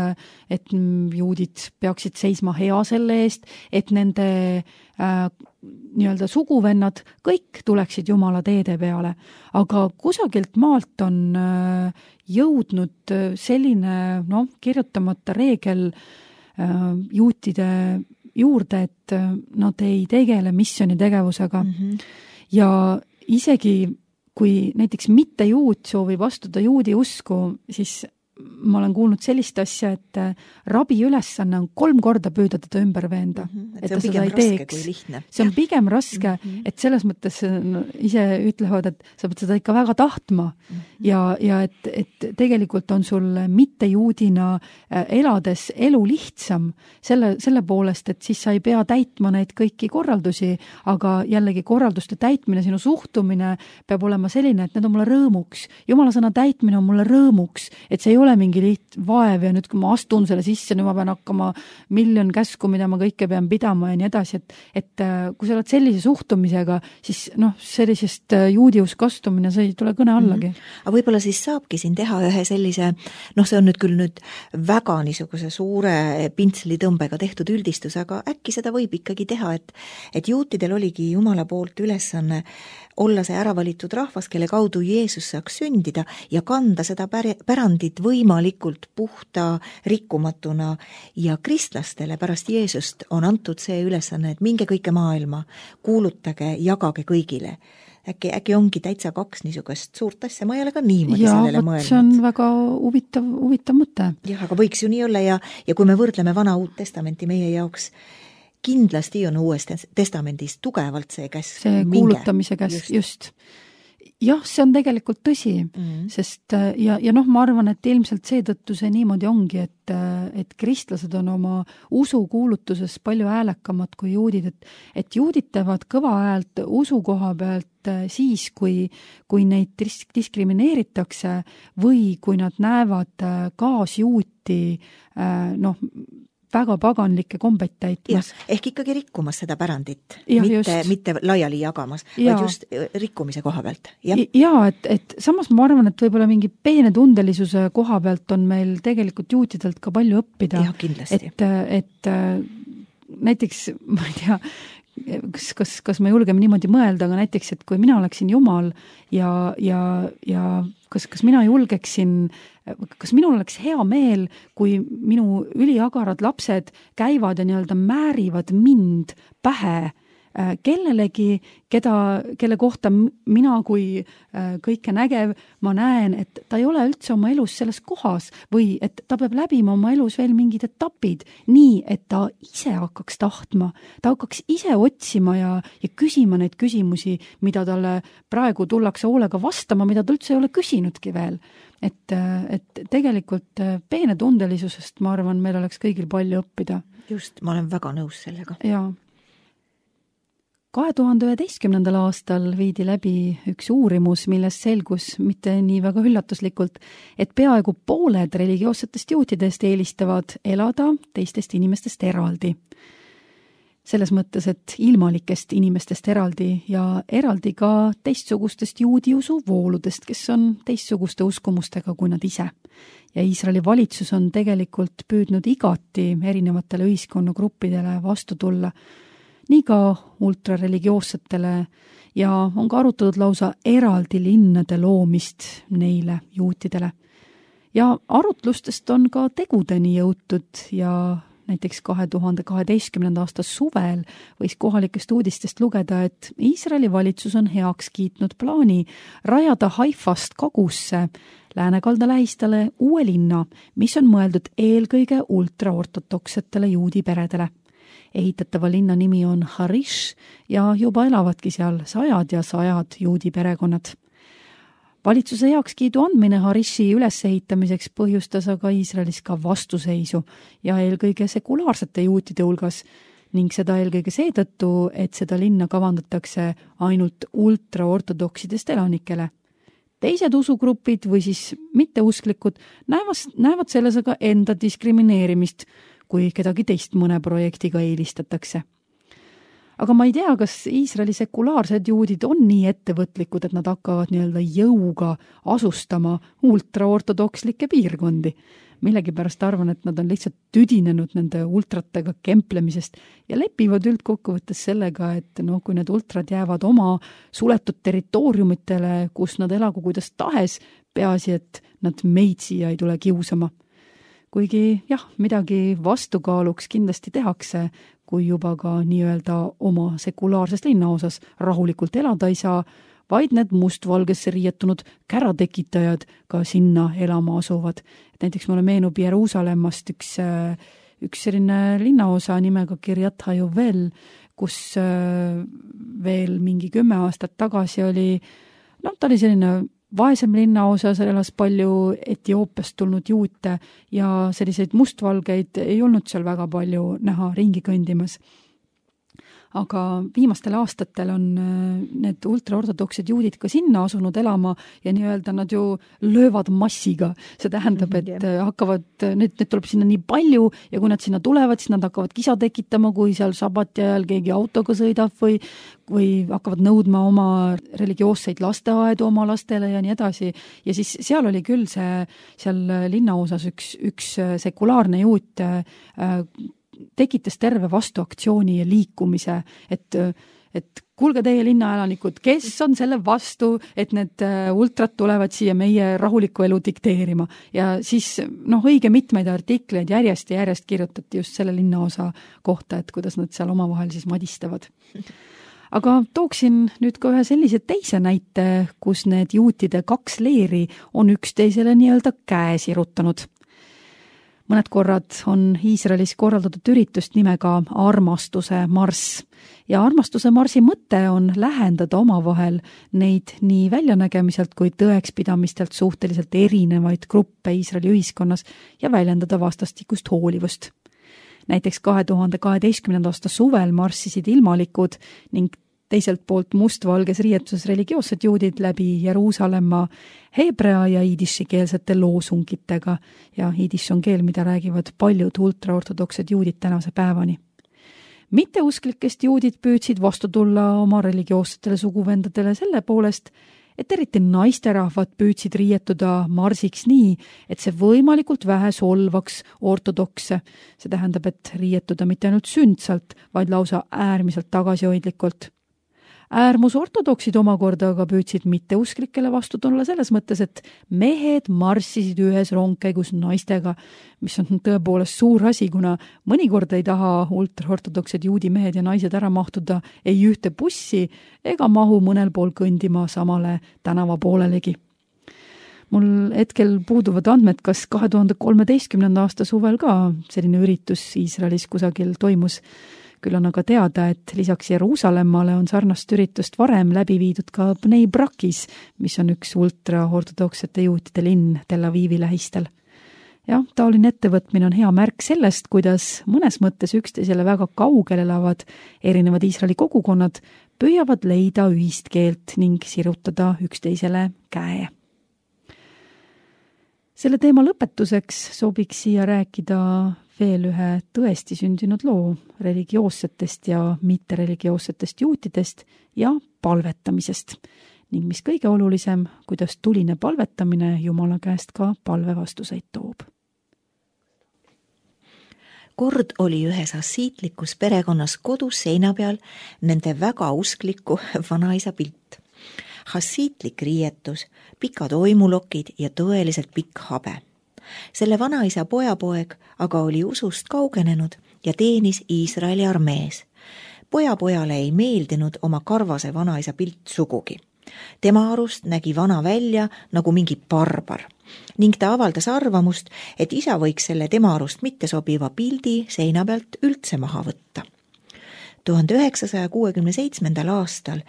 et juudid peaksid seisma hea selle eest, et nende äh, nii-öelda suguvennad kõik tuleksid Jumala teede peale, aga kusagilt maalt on äh, jõudnud selline no, kirjutamata reegel äh, juutide juurde, et nad ei tegele missioonitegevusega mm -hmm. ja isegi kui näiteks mitte juut soovib astuda juudi usku, siis ma olen kuulnud sellist asja, et rabi ülesanne on kolm korda püüda teda ümber veenda, mm -hmm. et, et ta seda ei teeks. See on pigem raske, mm -hmm. et selles mõttes no, ise ütlevad, et sa pead seda ikka väga tahtma mm -hmm. ja, ja et, et tegelikult on sul mitte juudina elades elu lihtsam selle, selle poolest, et siis sa ei pea täitma neid kõiki korraldusi, aga jällegi korralduste täitmine, sinu suhtumine peab olema selline, et need on mulle rõõmuks. Jumala sõna täitmine on mulle rõõmuks, et see ei ole mingi liht vaev ja nüüd, kui ma astun selle sisse, nüüd ma pean hakkama miljon käsku, mida ma kõike pean pidama ja nii edasi, et, et kui sa oled sellise suhtumisega, siis noh, sellisest juudiusk astumine, see ei tule kõne allagi. Mm -hmm. Aga võib-olla siis saabki siin teha ühe sellise, noh, see on nüüd küll nüüd väga niisuguse suure pintslitõmbega tehtud üldistus, aga äkki seda võib ikkagi teha, et, et juutidel oligi Jumala poolt ülesanne olla see ära valitud rahvas, kelle kaudu Jeesus saaks sündida ja kanda seda pärandit võimalikult puhta rikkumatuna ja kristlastele pärast Jeesust on antud see ülesanne, et minge kõike maailma, kuulutage, jagage kõigile. Äkki, äkki ongi täitsa kaks niisugust suurt asja, ma ei ole ka niimoodi ja, sellele mõelnud. Ja, see on väga huvitav, huvitav mõte. Jah, aga võiks ju nii olla ja, ja kui me võrdleme vana uut testamenti meie jaoks, kindlasti on uues testamendis tugevalt see käsk. See kuulutamise käsk, just. just. jah, see on tegelikult tõsi, mm-hmm. sest ja, ja noh, ma arvan, et ilmselt seetõttu see niimoodi ongi, et, et kristlased on oma usukuulutuses palju häälekamad kui juudid, et, et juudid teevad kõva häält usu koha pealt siis, kui, kui neid dis- diskrimineeritakse või kui nad näevad kaasjuuti, noh, väga paganlikke kombeid täitmas. Ja, ehk ikkagi rikkumas seda pärandit, ja, mitte, mitte laiali jagamas, ja. vaid just rikkumise koha pealt. Ja, ja et, et samas ma arvan, et võib-olla mingi peene tundelisuse koha pealt on meil tegelikult juutidelt ka palju õppida. Ja, kindlasti. Et, et näiteks, ma ei tea, kas, kas, kas me julgeme niimoodi mõelda, aga näiteks, et kui mina oleksin Jumal ja, ja, ja kas, kas mina julgeksin, kas minul oleks hea meel, kui minu üliagarad lapsed käivad ja nii-öelda määrivad mind pähe kellelegi, keda, kelle kohta mina kui kõike nägev, ma näen, et ta ei ole üldse oma elus selles kohas või et ta peab läbima oma elus veel mingid etapid nii, et ta ise hakkaks tahtma, ta hakkaks ise otsima ja, ja küsima neid küsimusi, mida talle praegu tullakse hoolega vastama, mida ta üldse ei ole küsinudki veel. Et, et tegelikult peene tundelisusest, ma arvan, meil oleks kõigil palju õppida. Just, ma olen väga nõus sellega. Jaa. kahe tuhande üheteistkümnendal aastal viidi läbi üks uurimus, milles selgus mitte nii väga üllatuslikult, et peaaegu pooled religioossetest juutidest eelistavad elada teistest inimestest eraldi. Selles mõttes, et ilmalikest inimestest eraldi ja eraldi ka teistsugustest juudiusu vooludest, kes on teistsuguste uskumustega kui nad ise. Ja Iisraeli valitsus on tegelikult püüdnud igati erinevatele ühiskonnagruppidele vastu tulla, nii ka ultrareligioossetele ja on ka arutatud lausa eraldi linnade loomist neile juutidele. Ja arutlustest on ka tegudeni jõutud ja näiteks kahe tuhande kaheteistkümnenda aasta suvel võis kohalikest uudistest lugeda, et Iisraeli valitsus on heaks kiitnud plaani rajada Haifast kagusse Läänekalda lähistale uue linna, mis on mõeldud eelkõige ultraortodoksetele juudi peredele. Ehitatava linna nimi on Harish ja juba elavadki seal sajad ja sajad juudi perekonnad. Valitsuse heakskiidu andmine Harishi ülesehitamiseks põhjustas aga Iisraelis ka vastuseisu ja eelkõige sekulaarsete juutide hulgas ning seda eelkõige seetõttu, et seda linna kavandatakse ainult ultraortodoksidest elanikele. Teised usugrupid või siis mitteusklikud näevas, näevad selles aga enda diskrimineerimist, kui kedagi teist mõne projektiga eelistatakse. Aga ma ei tea, kas Iisraeli sekulaarsed juudid on nii ettevõtlikud, et nad hakkavad nii-öelda jõuga asustama ultraortodokslikke piirkondi. Millegipärast arvan, et nad on lihtsalt tüdinenud nende ultratega kemplemisest ja lepivad üldkokkuvõttes sellega, et no, kui need ultrad jäävad oma suletud territooriumitele, kus nad elagu kuidas tahes, peaasi, et nad meid siia ei tule kiusama. Kuigi jah, midagi vastukaaluks kindlasti tehakse, kui juba ka nii-öelda oma sekulaarses linnaosas rahulikult elada ei saa, vaid need mustvalgesse riietunud käratekitajad ka sinna elama asuvad. Et näiteks mulle meenub Jeruusalemmast üks, üks selline linnaosa nimega Kiryat HaYovel, kus veel mingi kümme aastat tagasi oli, no ta oli selline vaesem linnaosas, elas palju Etioopiast tulnud juute ja selliseid mustvalgeid ei olnud seal väga palju näha ringi kõndimas. Aga viimastel aastatel on need ultraortodoksid juudid ka sinna asunud elama ja nii-öelda nad ju löövad massiga. See tähendab, et hakkavad, need, need tuleb sinna nii palju ja kui nad sinna tulevad, siis nad hakkavad kisa tekitama, kui seal sabati ajal keegi autoga sõidab või, või hakkavad nõudma oma religioosseid lasteaedu oma lastele ja nii edasi. Ja siis seal oli küll see, seal linnaosas üks, üks sekulaarne juut äh, tekitas terve vastuaktsiooni ja liikumise, et, et kuulge teie linnaelanikud, kes on selle vastu, et need ultrat tulevad siia meie rahulikku elu dikteerima. Ja siis noh, õige mitmeid artikleid järjest ja järjest kirjutati just selle linnaosa kohta, et kuidas nad seal omavahel siis madistavad. Aga tooksin nüüd ka ühe sellise teise näite, kus need juutide kaks leeri on üksteisele nii-öelda käe sirutanud. mõned korrad on Iisraelis korraldatud üritust nimega Armastuse marss ja Armastuse marsi mõte on lähendada omavahel neid nii väljanägemiselt kui tõekspidamistelt suhteliselt erinevaid gruppe Iisraeli ühiskonnas ja väljendada vastastikust hoolivust. Näiteks kahe tuhande kaheteistkümnenda aasta suvel marssisid ilmalikud ning teiselt poolt mustvalges riietuses religioossed juudid läbi Jeruusalemma heebrea ja iidissikeelsete loosungitega ja iidiss on keel, mida räägivad paljud ultraortodoksed juudid tänase päevani. Mitteusklikest juudid püüdsid vastu tulla oma religioossetele suguvendadele selle poolest, et eriti naisterahvad püüdsid riietuda marsiks nii, et see võimalikult vähe solvaks ortodokse. See tähendab, et riietuda mitte ainult sündsalt, vaid lausa äärmiselt tagasihoidlikult. Äärmus ortodoksid omakorda aga püüdsid mitteusklikele vastu tulla selles mõttes, et mehed marssisid ühes rongkäigus naistega, mis on tõepoolest suur asi, kuna mõnikord ei taha ultraortodoksed juudi mehed ja naised ära mahtuda ei ühte bussi ega mahu mõnel pool kõndima samale tänava poolelegi. Mul hetkel puuduvad andmed, kas kahe tuhande kolmeteistkümnenda aasta suvel ka selline üritus Iisraelis kusagil toimus. Küll on aga teada, et lisaks Jeruusalemmale on sarnast üritust varem läbi viidud ka Bnei Brakis, mis on üks ultraortodoksete juutide linn Tel Avivi lähistel. Jah, taoline ettevõtmine on hea märk sellest, kuidas mõnes mõttes üksteisele väga kaugel elavad erinevad Iisraeli kogukonnad püüavad leida ühist keelt ning sirutada üksteisele käe. Selle teema lõpetuseks sobiks siia rääkida veel ühe tõesti sündinud loo religioossetest ja mittereligioossetest juutidest ja palvetamisest ning mis kõige olulisem, kuidas tuline palvetamine Jumala käest ka palvevastuseid toob. Kord oli ühes hassiitlikus perekonnas kodus seina peal nende väga uskliku vanaisa pilt. Hassiitlik riietus, pikad oimulokid ja tõeliselt pikk habe. Selle vanaisa pojapoeg aga oli usust kaugenenud ja teenis Iisraeli armees. Pojapojale ei meeldinud oma karvase vanaisa pilt sugugi. Tema arust nägi vana välja nagu mingi barbar ning ta avaldas arvamust, et isa võiks selle tema arust mitte sobiva pildi seina pealt üldse maha võtta. tuhande üheksasaja kuuekümne seitsmendal aastal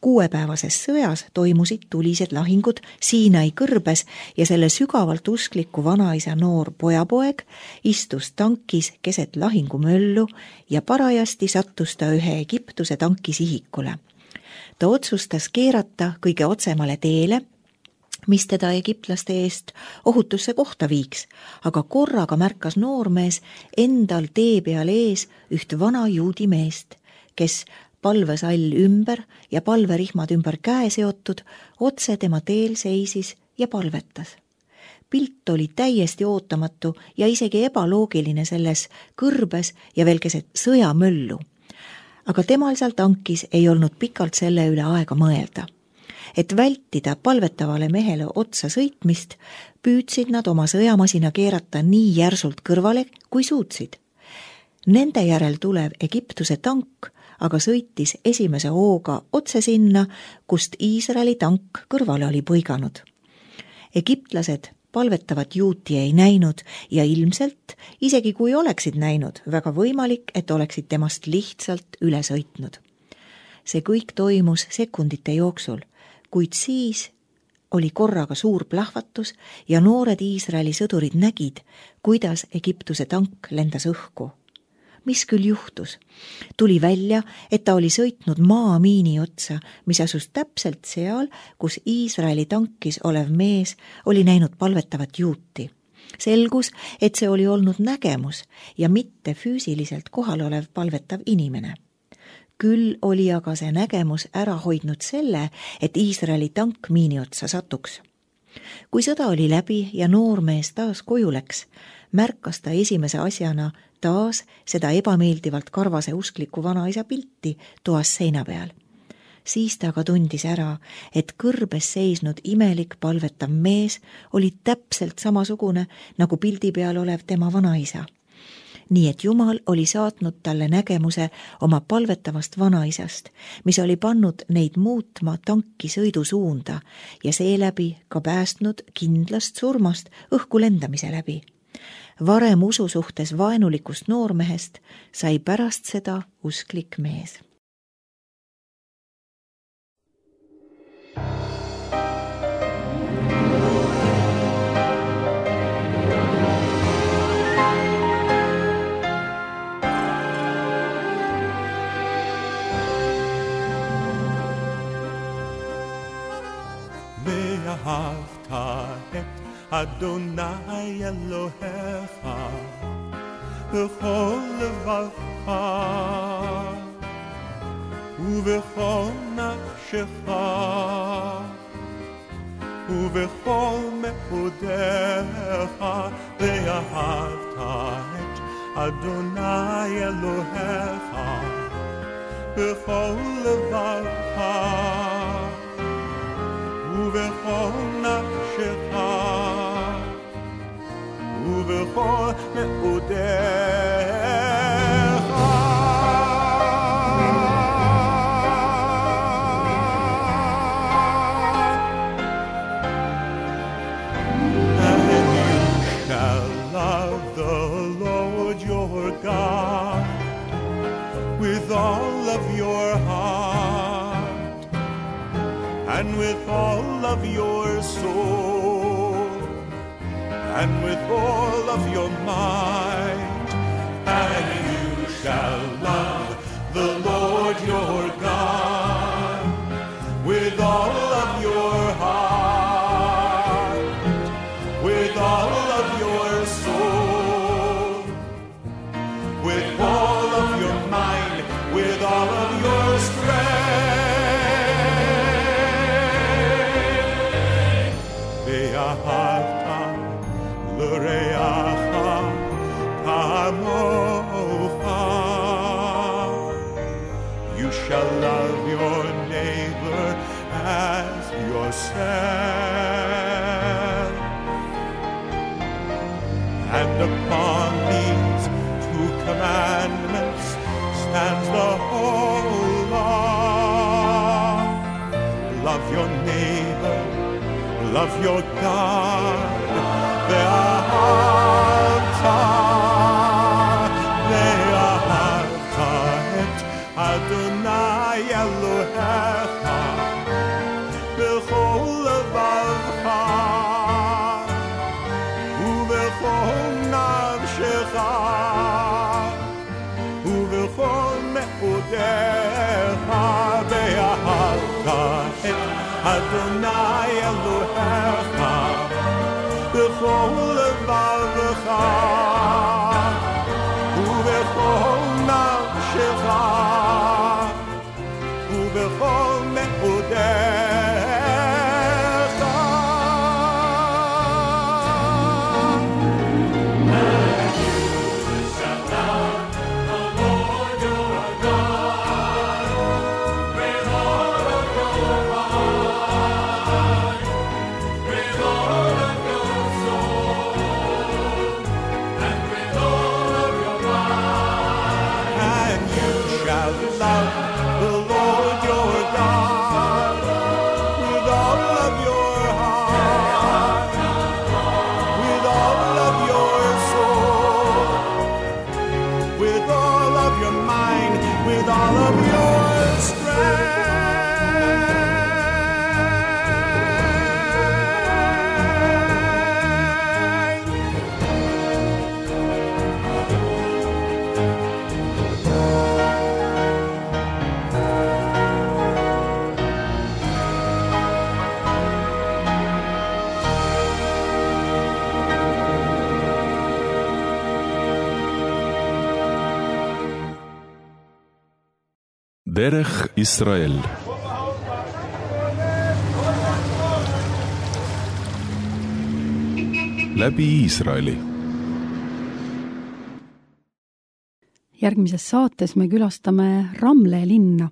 kuuepäevases sõjas toimusid tulised lahingud Siinai kõrbes ja selle sügavalt uskliku vanaisa noor pojapoeg istus tankis keset lahingumöllu ja parajasti sattus ta ühe Egiptuse tanki sihikule. Ta otsustas keerata kõige otsemale teele, mis teda egiptlaste eest ohutusse kohta viiks, aga korraga märkas noormees endal tee peal ees üht vana juudi meest, kes palvesall ümber ja palverihmad ümber käe seotud, otse tema teel seisis ja palvetas. Pilt oli täiesti ootamatu ja isegi ebaloogiline selles kõrbes ja veel keset sõjamöllu. Aga temal seal tankis ei olnud pikalt selle üle aega mõelda. Et vältida palvetavale mehele otsa sõitmist, püüdsid nad oma sõjamasina keerata nii järsult kõrvale, kui suutsid. Nende järel tulev Egiptuse tank aga sõitis esimese hooga otse sinna, kust Iisraeli tank kõrvale oli põiganud. Egiptlased palvetavat juuti ei näinud ja ilmselt, isegi kui oleksid näinud, väga võimalik, et oleksid temast lihtsalt üle sõitnud. See kõik toimus sekundite jooksul, kuid siis oli korraga suur plahvatus ja noored Iisraeli sõdurid nägid, kuidas Egiptuse tank lendas õhku. Mis küll juhtus? Tuli välja, et ta oli sõitnud maamiini otsa, mis asus täpselt seal, kus Iisraeli tankis olev mees oli näinud palvetavat juuti. Selgus, et see oli olnud nägemus ja mitte füüsiliselt kohal olev palvetav inimene. Küll oli aga see nägemus ära hoidnud selle, et Iisraeli tank miini otsa satuks. Kui sõda oli läbi ja noormees taas koju läks, märkas ta esimese asjana taas seda ebameeldivalt karvase uskliku vanaisa pilti toas seina peal. Siis ta aga tundis ära, et kõrbes seisnud imelik palvetav mees oli täpselt samasugune nagu pildi peal olev tema vanaisa. Nii et Jumal oli saatnud talle nägemuse oma palvetavast vanaisast, mis oli pannud neid muutma tanki sõidusuunda ja seeläbi ka päästnud kindlast surmast õhku lendamise läbi. varem usu suhtes vaenulikust noormehest sai pärast seda usklik mees. ואהבת את אדוני אלוהיך בכל לבבך ובכל נפשך ובכל מאודיך ואהבת את אדוני אלוהיך בכל לבבך ובכל נפשך ובכל מאודיך And you shall love the Lord your God with all of your heart and with all of your soul, and with all of your might, and you shall love the Lord your God with all of your heart, with all of your soul, with all of your mind, with all of your strength. You shall love your neighbor as yourself. And upon these two commandments stands the whole law. Love your neighbor, love your God. ואהבת, ואהבת את אדוני אלוהיך בכל לבבך ובכל נפשך ובכל מאודיך. ואהבת את אדוני אלוהיך בכל לבבך ובכל נפשך ובכל מאודיך. דרך ישראל. läbi Iisraeli. Järgmises saates me külastame Ramle linna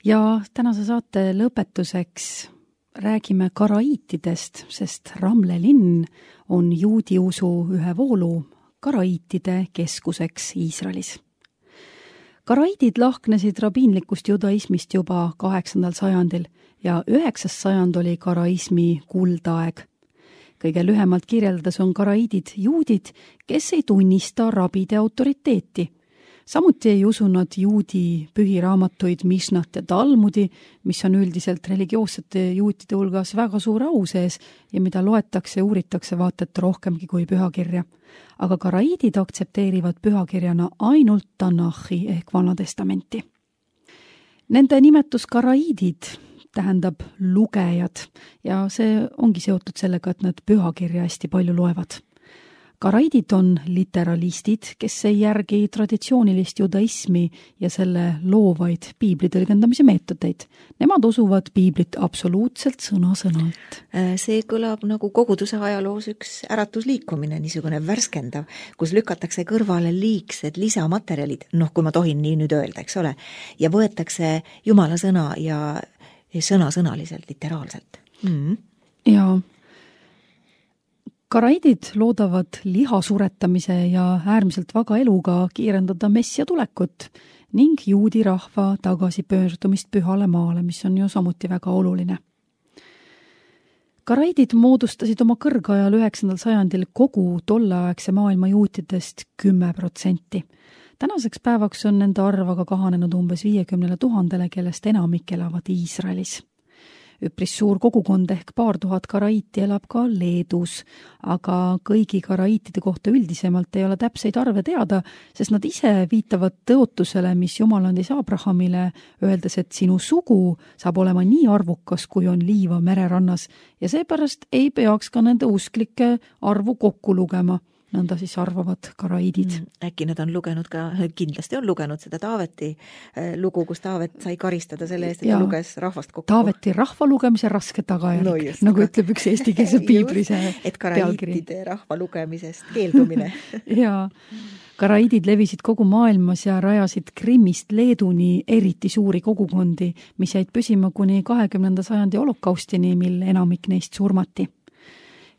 ja tänase saate lõpetuseks räägime karaiitidest, sest Ramle linn on juudi usu ühe voolu karaiitide keskuseks Iisraelis. Karaiidid lahknesid rabiinlikust judaismist juba kaheksandal sajandil ja üheksas sajand oli karaismi kuldaeg. kõige lühemalt kirjeldades on karaiidid juudid, kes ei tunnista rabide autoriteeti. Samuti ei usu nad juudi pühiraamatuid Mishnat ja Talmudi, mis on üldiselt religioossete juutide hulgas väga suure au sees ja mida loetakse ja uuritakse vaata et rohkemgi kui pühakirja. Aga karaiidid aktsepteerivad pühakirjana ainult Tanahi ehk Vana Testamenti. Nende nimetus karaiidid tähendab lugejad ja see ongi seotud sellega, et nad pühakirja hästi palju loevad. Karaiidid on literalistid, kes ei järgi traditsioonilist judaismi ja selle loovaid piibli tõlgendamise meetodeid. Nemad usuvad piiblit absoluutselt sõna-sõnalt. See kõlab nagu koguduse ajaloos üks äratusliikumine, niisugune värskendav, kus lükatakse kõrvale liigsed lisamaterjalid, noh, kui ma tohin nii nüüd öelda, eks ole, ja võetakse Jumala sõna ja sõna-sõnaliselt, literaalselt. Mm. Ja karaiidid loodavad liha suretamise ja äärmiselt vaga eluga kiirendada messia tulekut ning juudi rahva tagasipöördumist pühale maale, mis on ju samuti väga oluline. Karaiidid moodustasid oma kõrgajal üheksandal sajandil kogu tolleaegse maailma juutidest kümme protsenti. Tänaseks päevaks on nende arv aga kahanenud umbes viiekümnele tuhandele, kellest enamik elavad Iisraelis. Üpris suur kogukond ehk paar tuhat karaiiti elab ka Leedus, aga kõigi karaiitide kohta üldisemalt ei ole täpseid arve teada, sest nad ise viitavad tõotusele, mis Jumal andis Abrahamile, öeldes, et sinu sugu saab olema nii arvukas, kui on liiva mererannas ja seepärast ei peaks ka nende usklike arvu kokku lugema. Nõnda siis arvavad karaiidid. Äkki nad on lugenud ka, kindlasti on lugenud seda Taaveti lugu, kus Taavet sai karistada selle eest, et ja, ta luges rahvast kokku. Taaveti rahva lugemise raske tagajärg, no just, nagu ütleb üks eestikeelse piibli see et karaiitide rahva lugemisest keeldumine. ja karaiidid levisid kogu maailmas ja rajasid Krimmist Leeduni eriti suuri kogukondi, mis jäid püsima kuni kahekümnenda sajandi holokaustini, mil enamik neist surmati.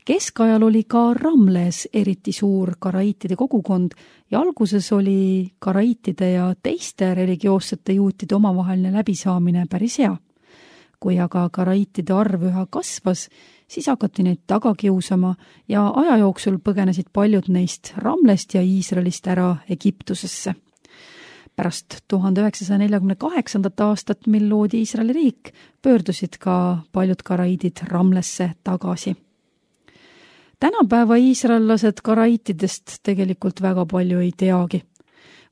Keskajal oli ka Ramles eriti suur karaiitide kogukond ja alguses oli karaiitide ja teiste religioossete juutide omavaheline läbisaamine päris hea. Kui aga karaiitide arv üha kasvas, siis hakati neid taga kiusama ja aja jooksul põgenesid paljud neist Ramlest ja Iisraelist ära Egiptusesse. Pärast tuhande üheksasaja neljakümne kaheksandat aastat, mil loodi Iisraeli riik, pöördusid ka paljud karaiidid Ramlesse tagasi. Tänapäeva iisraellased karaiitidest tegelikult väga palju ei teagi.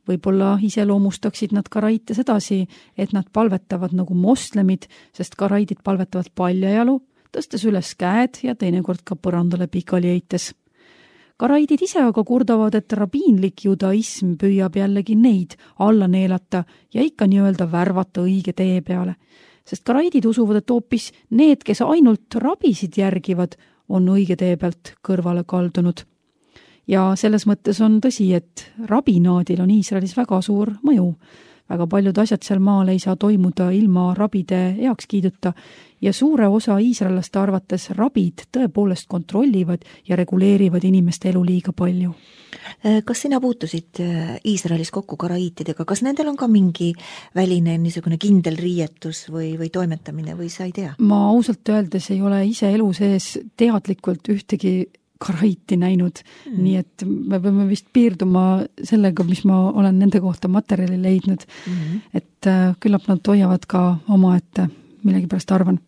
Võib-olla iseloomustaksid nad karaiite sedasi, et nad palvetavad nagu moslemid, sest karaiidid palvetavad paljajalu, tõstes üles käed ja teinekord ka põrandale pikali heites. Karaiidid ise aga kurdavad, et rabiinlik judaism püüab jällegi neid alla neelata ja ikka nii-öelda värvata õige tee peale. Sest karaiidid usuvad, et hoopis need, kes ainult rabisid järgivad, on õige tee pealt kõrvale kaldunud. Ja selles mõttes on tõsi, et rabinaadil on Iisraelis väga suur mõju. Väga paljud asjad seal maal ei saa toimuda ilma rabide heakskiiduta ja suure osa iisraellaste arvates rabid tõepoolest kontrollivad ja reguleerivad inimeste elu liiga palju. Kas sina puutusid Iisraelis kokku karaiitidega? Kas nendel on ka mingi väline niisugune kindel riietus või, või toimetamine või sa ei tea? Ma ausalt öeldes ei ole ise elu sees teadlikult ühtegi karaiiti näinud, hmm. nii et me peame vist piirduma sellega, mis ma olen nende kohta materjali leidnud, hmm. et küllap nad hoiavad ka omaette, millegipärast arvan.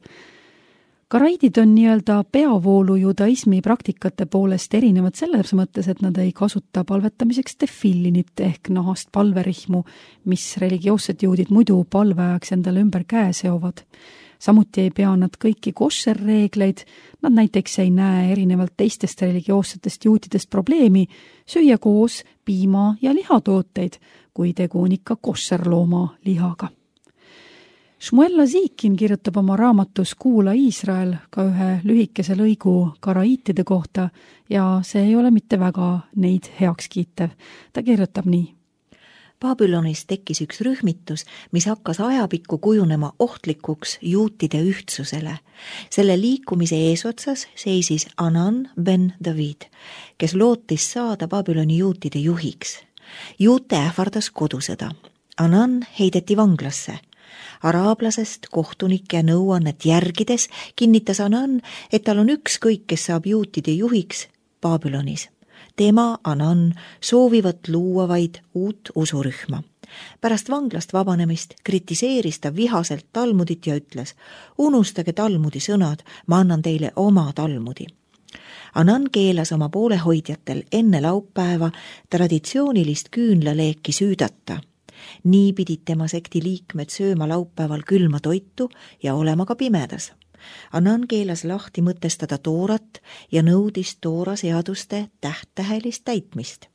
Karaiidid on nii-öelda peavoolu judaismi praktikate poolest erinevad selles mõttes, et nad ei kasuta palvetamiseks tefillinit ehk nahast palverihmu, mis religioossed juudid muidu palveajaks endale ümber käe seovad. Samuti ei pea nad kõiki koššerreegleid, nad näiteks ei näe erinevalt teistest religioossetest juutidest probleemi süüa koos piima- ja lihatooteid, kui tegu on ikka koššerlooma lihaga. Shmuel Lazikin kirjutab oma raamatus Kuula Iisrael ka ühe lühikese lõigu karaiitide kohta ja see ei ole mitte väga neid heaks kiitev. Ta kirjutab nii. Babülonis tekkis üks rühmitus, mis hakkas ajapikku kujunema ohtlikuks juutide ühtsusele. Selle liikumise eesotsas seisis Anan ben David, kes lootis saada Babyloni juutide juhiks. Juute ähvardas kodusõda. Anan heideti vanglasse. Araablasest kohtunike nõuannet järgides kinnitas Anan, et tal on ükskõik, kes saab juutide juhiks Babülonis. Tema, Anan, soovivat luua vaid uut usurühma. Pärast vanglast vabanemist kritiseeris ta vihaselt Talmudit ja ütles: unustage Talmudi sõnad, ma annan teile oma Talmudi. Anan keelas oma poolehoidjatel enne laupäeva traditsioonilist küünlaleeki süüdata. Nii pidid tema sekti liikmed sööma laupäeval külma toitu ja olema ka pimedas. Anan keelas lahti mõtestada toorat ja nõudis toora seaduste täht-tähelist täitmist.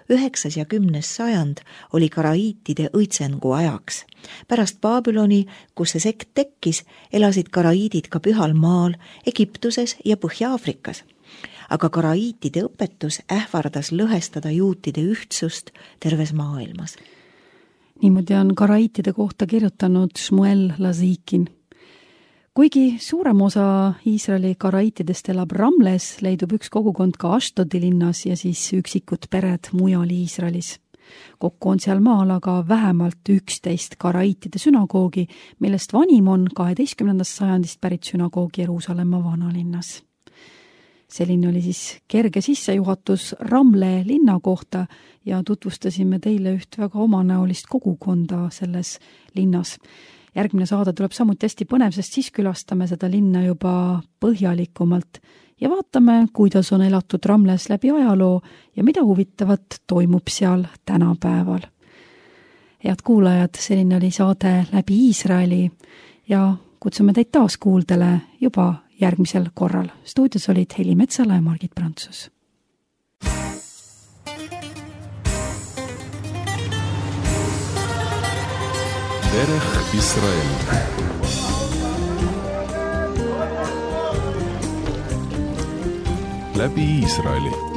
Üheksas ja kümnes sajand oli karaiitide õitsengu ajaks. Pärast Babyloni, kus see sekt tekkis, elasid karaiidid ka Pühal maal, Egiptuses ja Põhja-Aafrikas. Aga karaiitide õpetus ähvardas lõhestada juutide ühtsust terves maailmas. Niimoodi on karaiitide kohta kirjutanud Shmuel Lazikin. Kuigi suurem osa Iisraeli karaiitidest elab Ramles, leidub üks kogukond ka Ashtodi linnas ja siis üksikud pered mujal Iisraelis. Kokku on seal maal aga vähemalt üksteist karaiitide sünagoogi, millest vanim on kaheteistkümnendast sajandist pärit sünagoog Jeruusalemma vanalinnas. Selline oli siis kerge sissejuhatus Ramle linna kohta ja tutvustasime teile üht väga omanäolist kogukonda selles linnas. Järgmine saade tuleb samuti hästi põnev, sest siis külastame seda linna juba põhjalikumalt ja vaatame, kuidas on elatud Ramles läbi ajaloo ja mida huvitavat toimub seal tänapäeval. Head kuulajad, selline oli saade Läbi Iisraeli ja kutsume teid taas kuuldele juba järgmisel korral. Stuudios olid Heli Metsala ja Margit Prantsus. דרך ישראל. läbi Iisraeli.